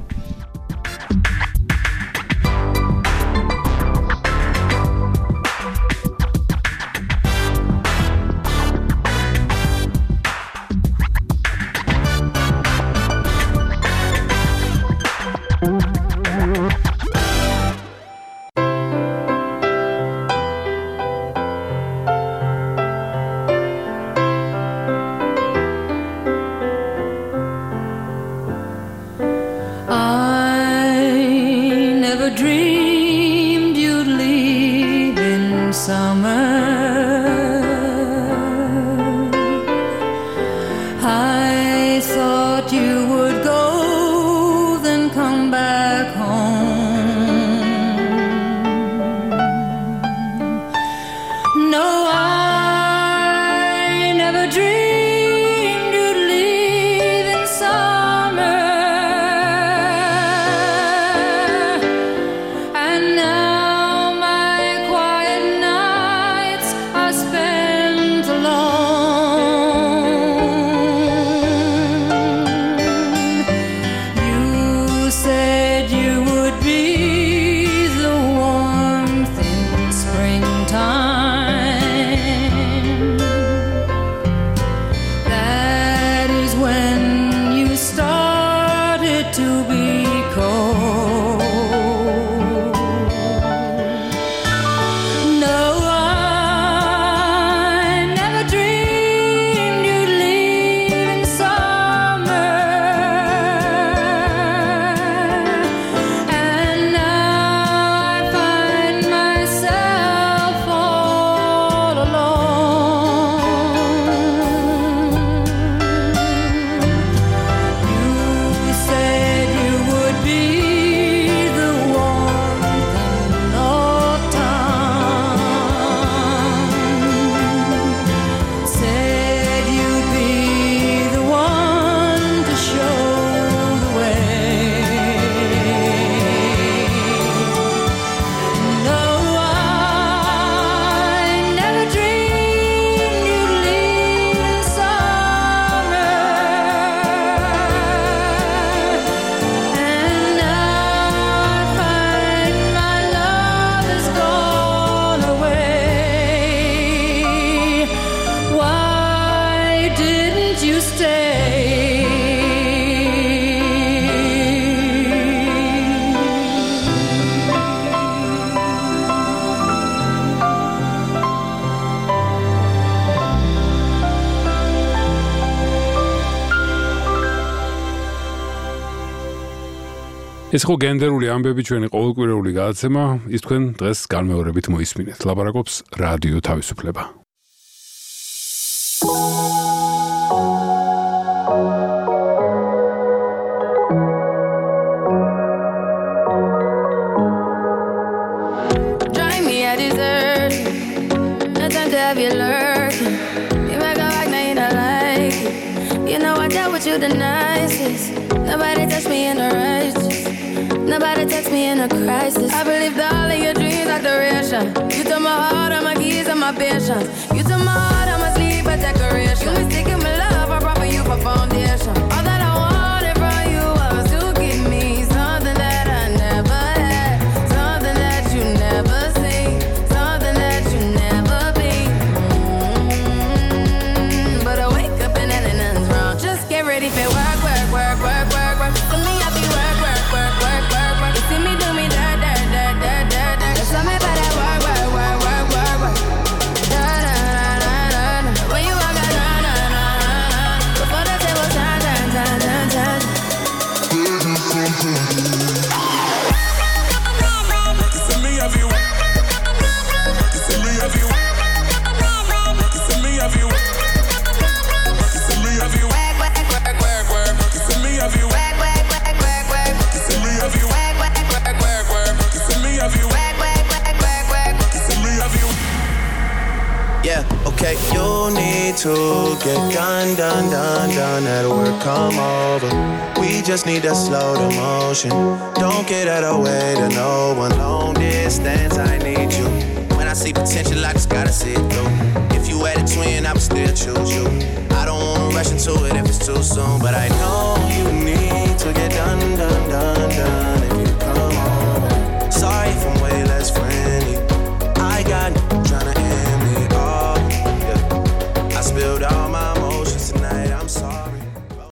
ეს ხო გენდერული ამბები ჩვენი ყოველკვირეული გადაცემა, ის თქვენ დღეს განმეორებით მოისმინეთ. ლაპარაკობს რადიო თავისუფლება.
Drive me a dessert. No time to have you lurking. You make a like, now you don't like it. You know I dealt with you the nicest. Nobody touched me in a righteous. Nobody text me in a crisis. I believed all of your dreams like duration. You took my heart, all my keys, and my patience. You took my heart, all my sleep, a decoration. You mistaken my love, I brought for you for foundation. All that I wanted from you was to give me something that I never had, something that you never seen, something that you never been. But I wake up and nothing's wrong. Just get ready for work, work, work, work, work, work. For me, I be work, work, work, work, work, work. You see me do me dirt, dirt, dirt, dirt, dirt, dirt. There's something about that work, work, work, work, work, work. Da, da, da, da, da, da. When you walk out, da, da, da, da, da. Before the table turn, turn, turn, turn, turn.
You see me everywhere. You see me everywhere. You see me everywhere. You see me everywhere.
Work, work, work, work, work.
You see me everywhere.
Work, work, work, work, work.
You see me everywhere.
Work, work, work, work, work.
You see me everywhere.
Work, work, work, work, work.
You see me everywhere.
Yeah, okay, you need to get done, at work, come over. We just need to slow the motion. Don't get out of way to no one. Long distance, I need you. When I see potential, I just gotta see it through. If you had a twin, I would still choose you. I don't wanna rush into it if it's too soon, but I know you need to get done,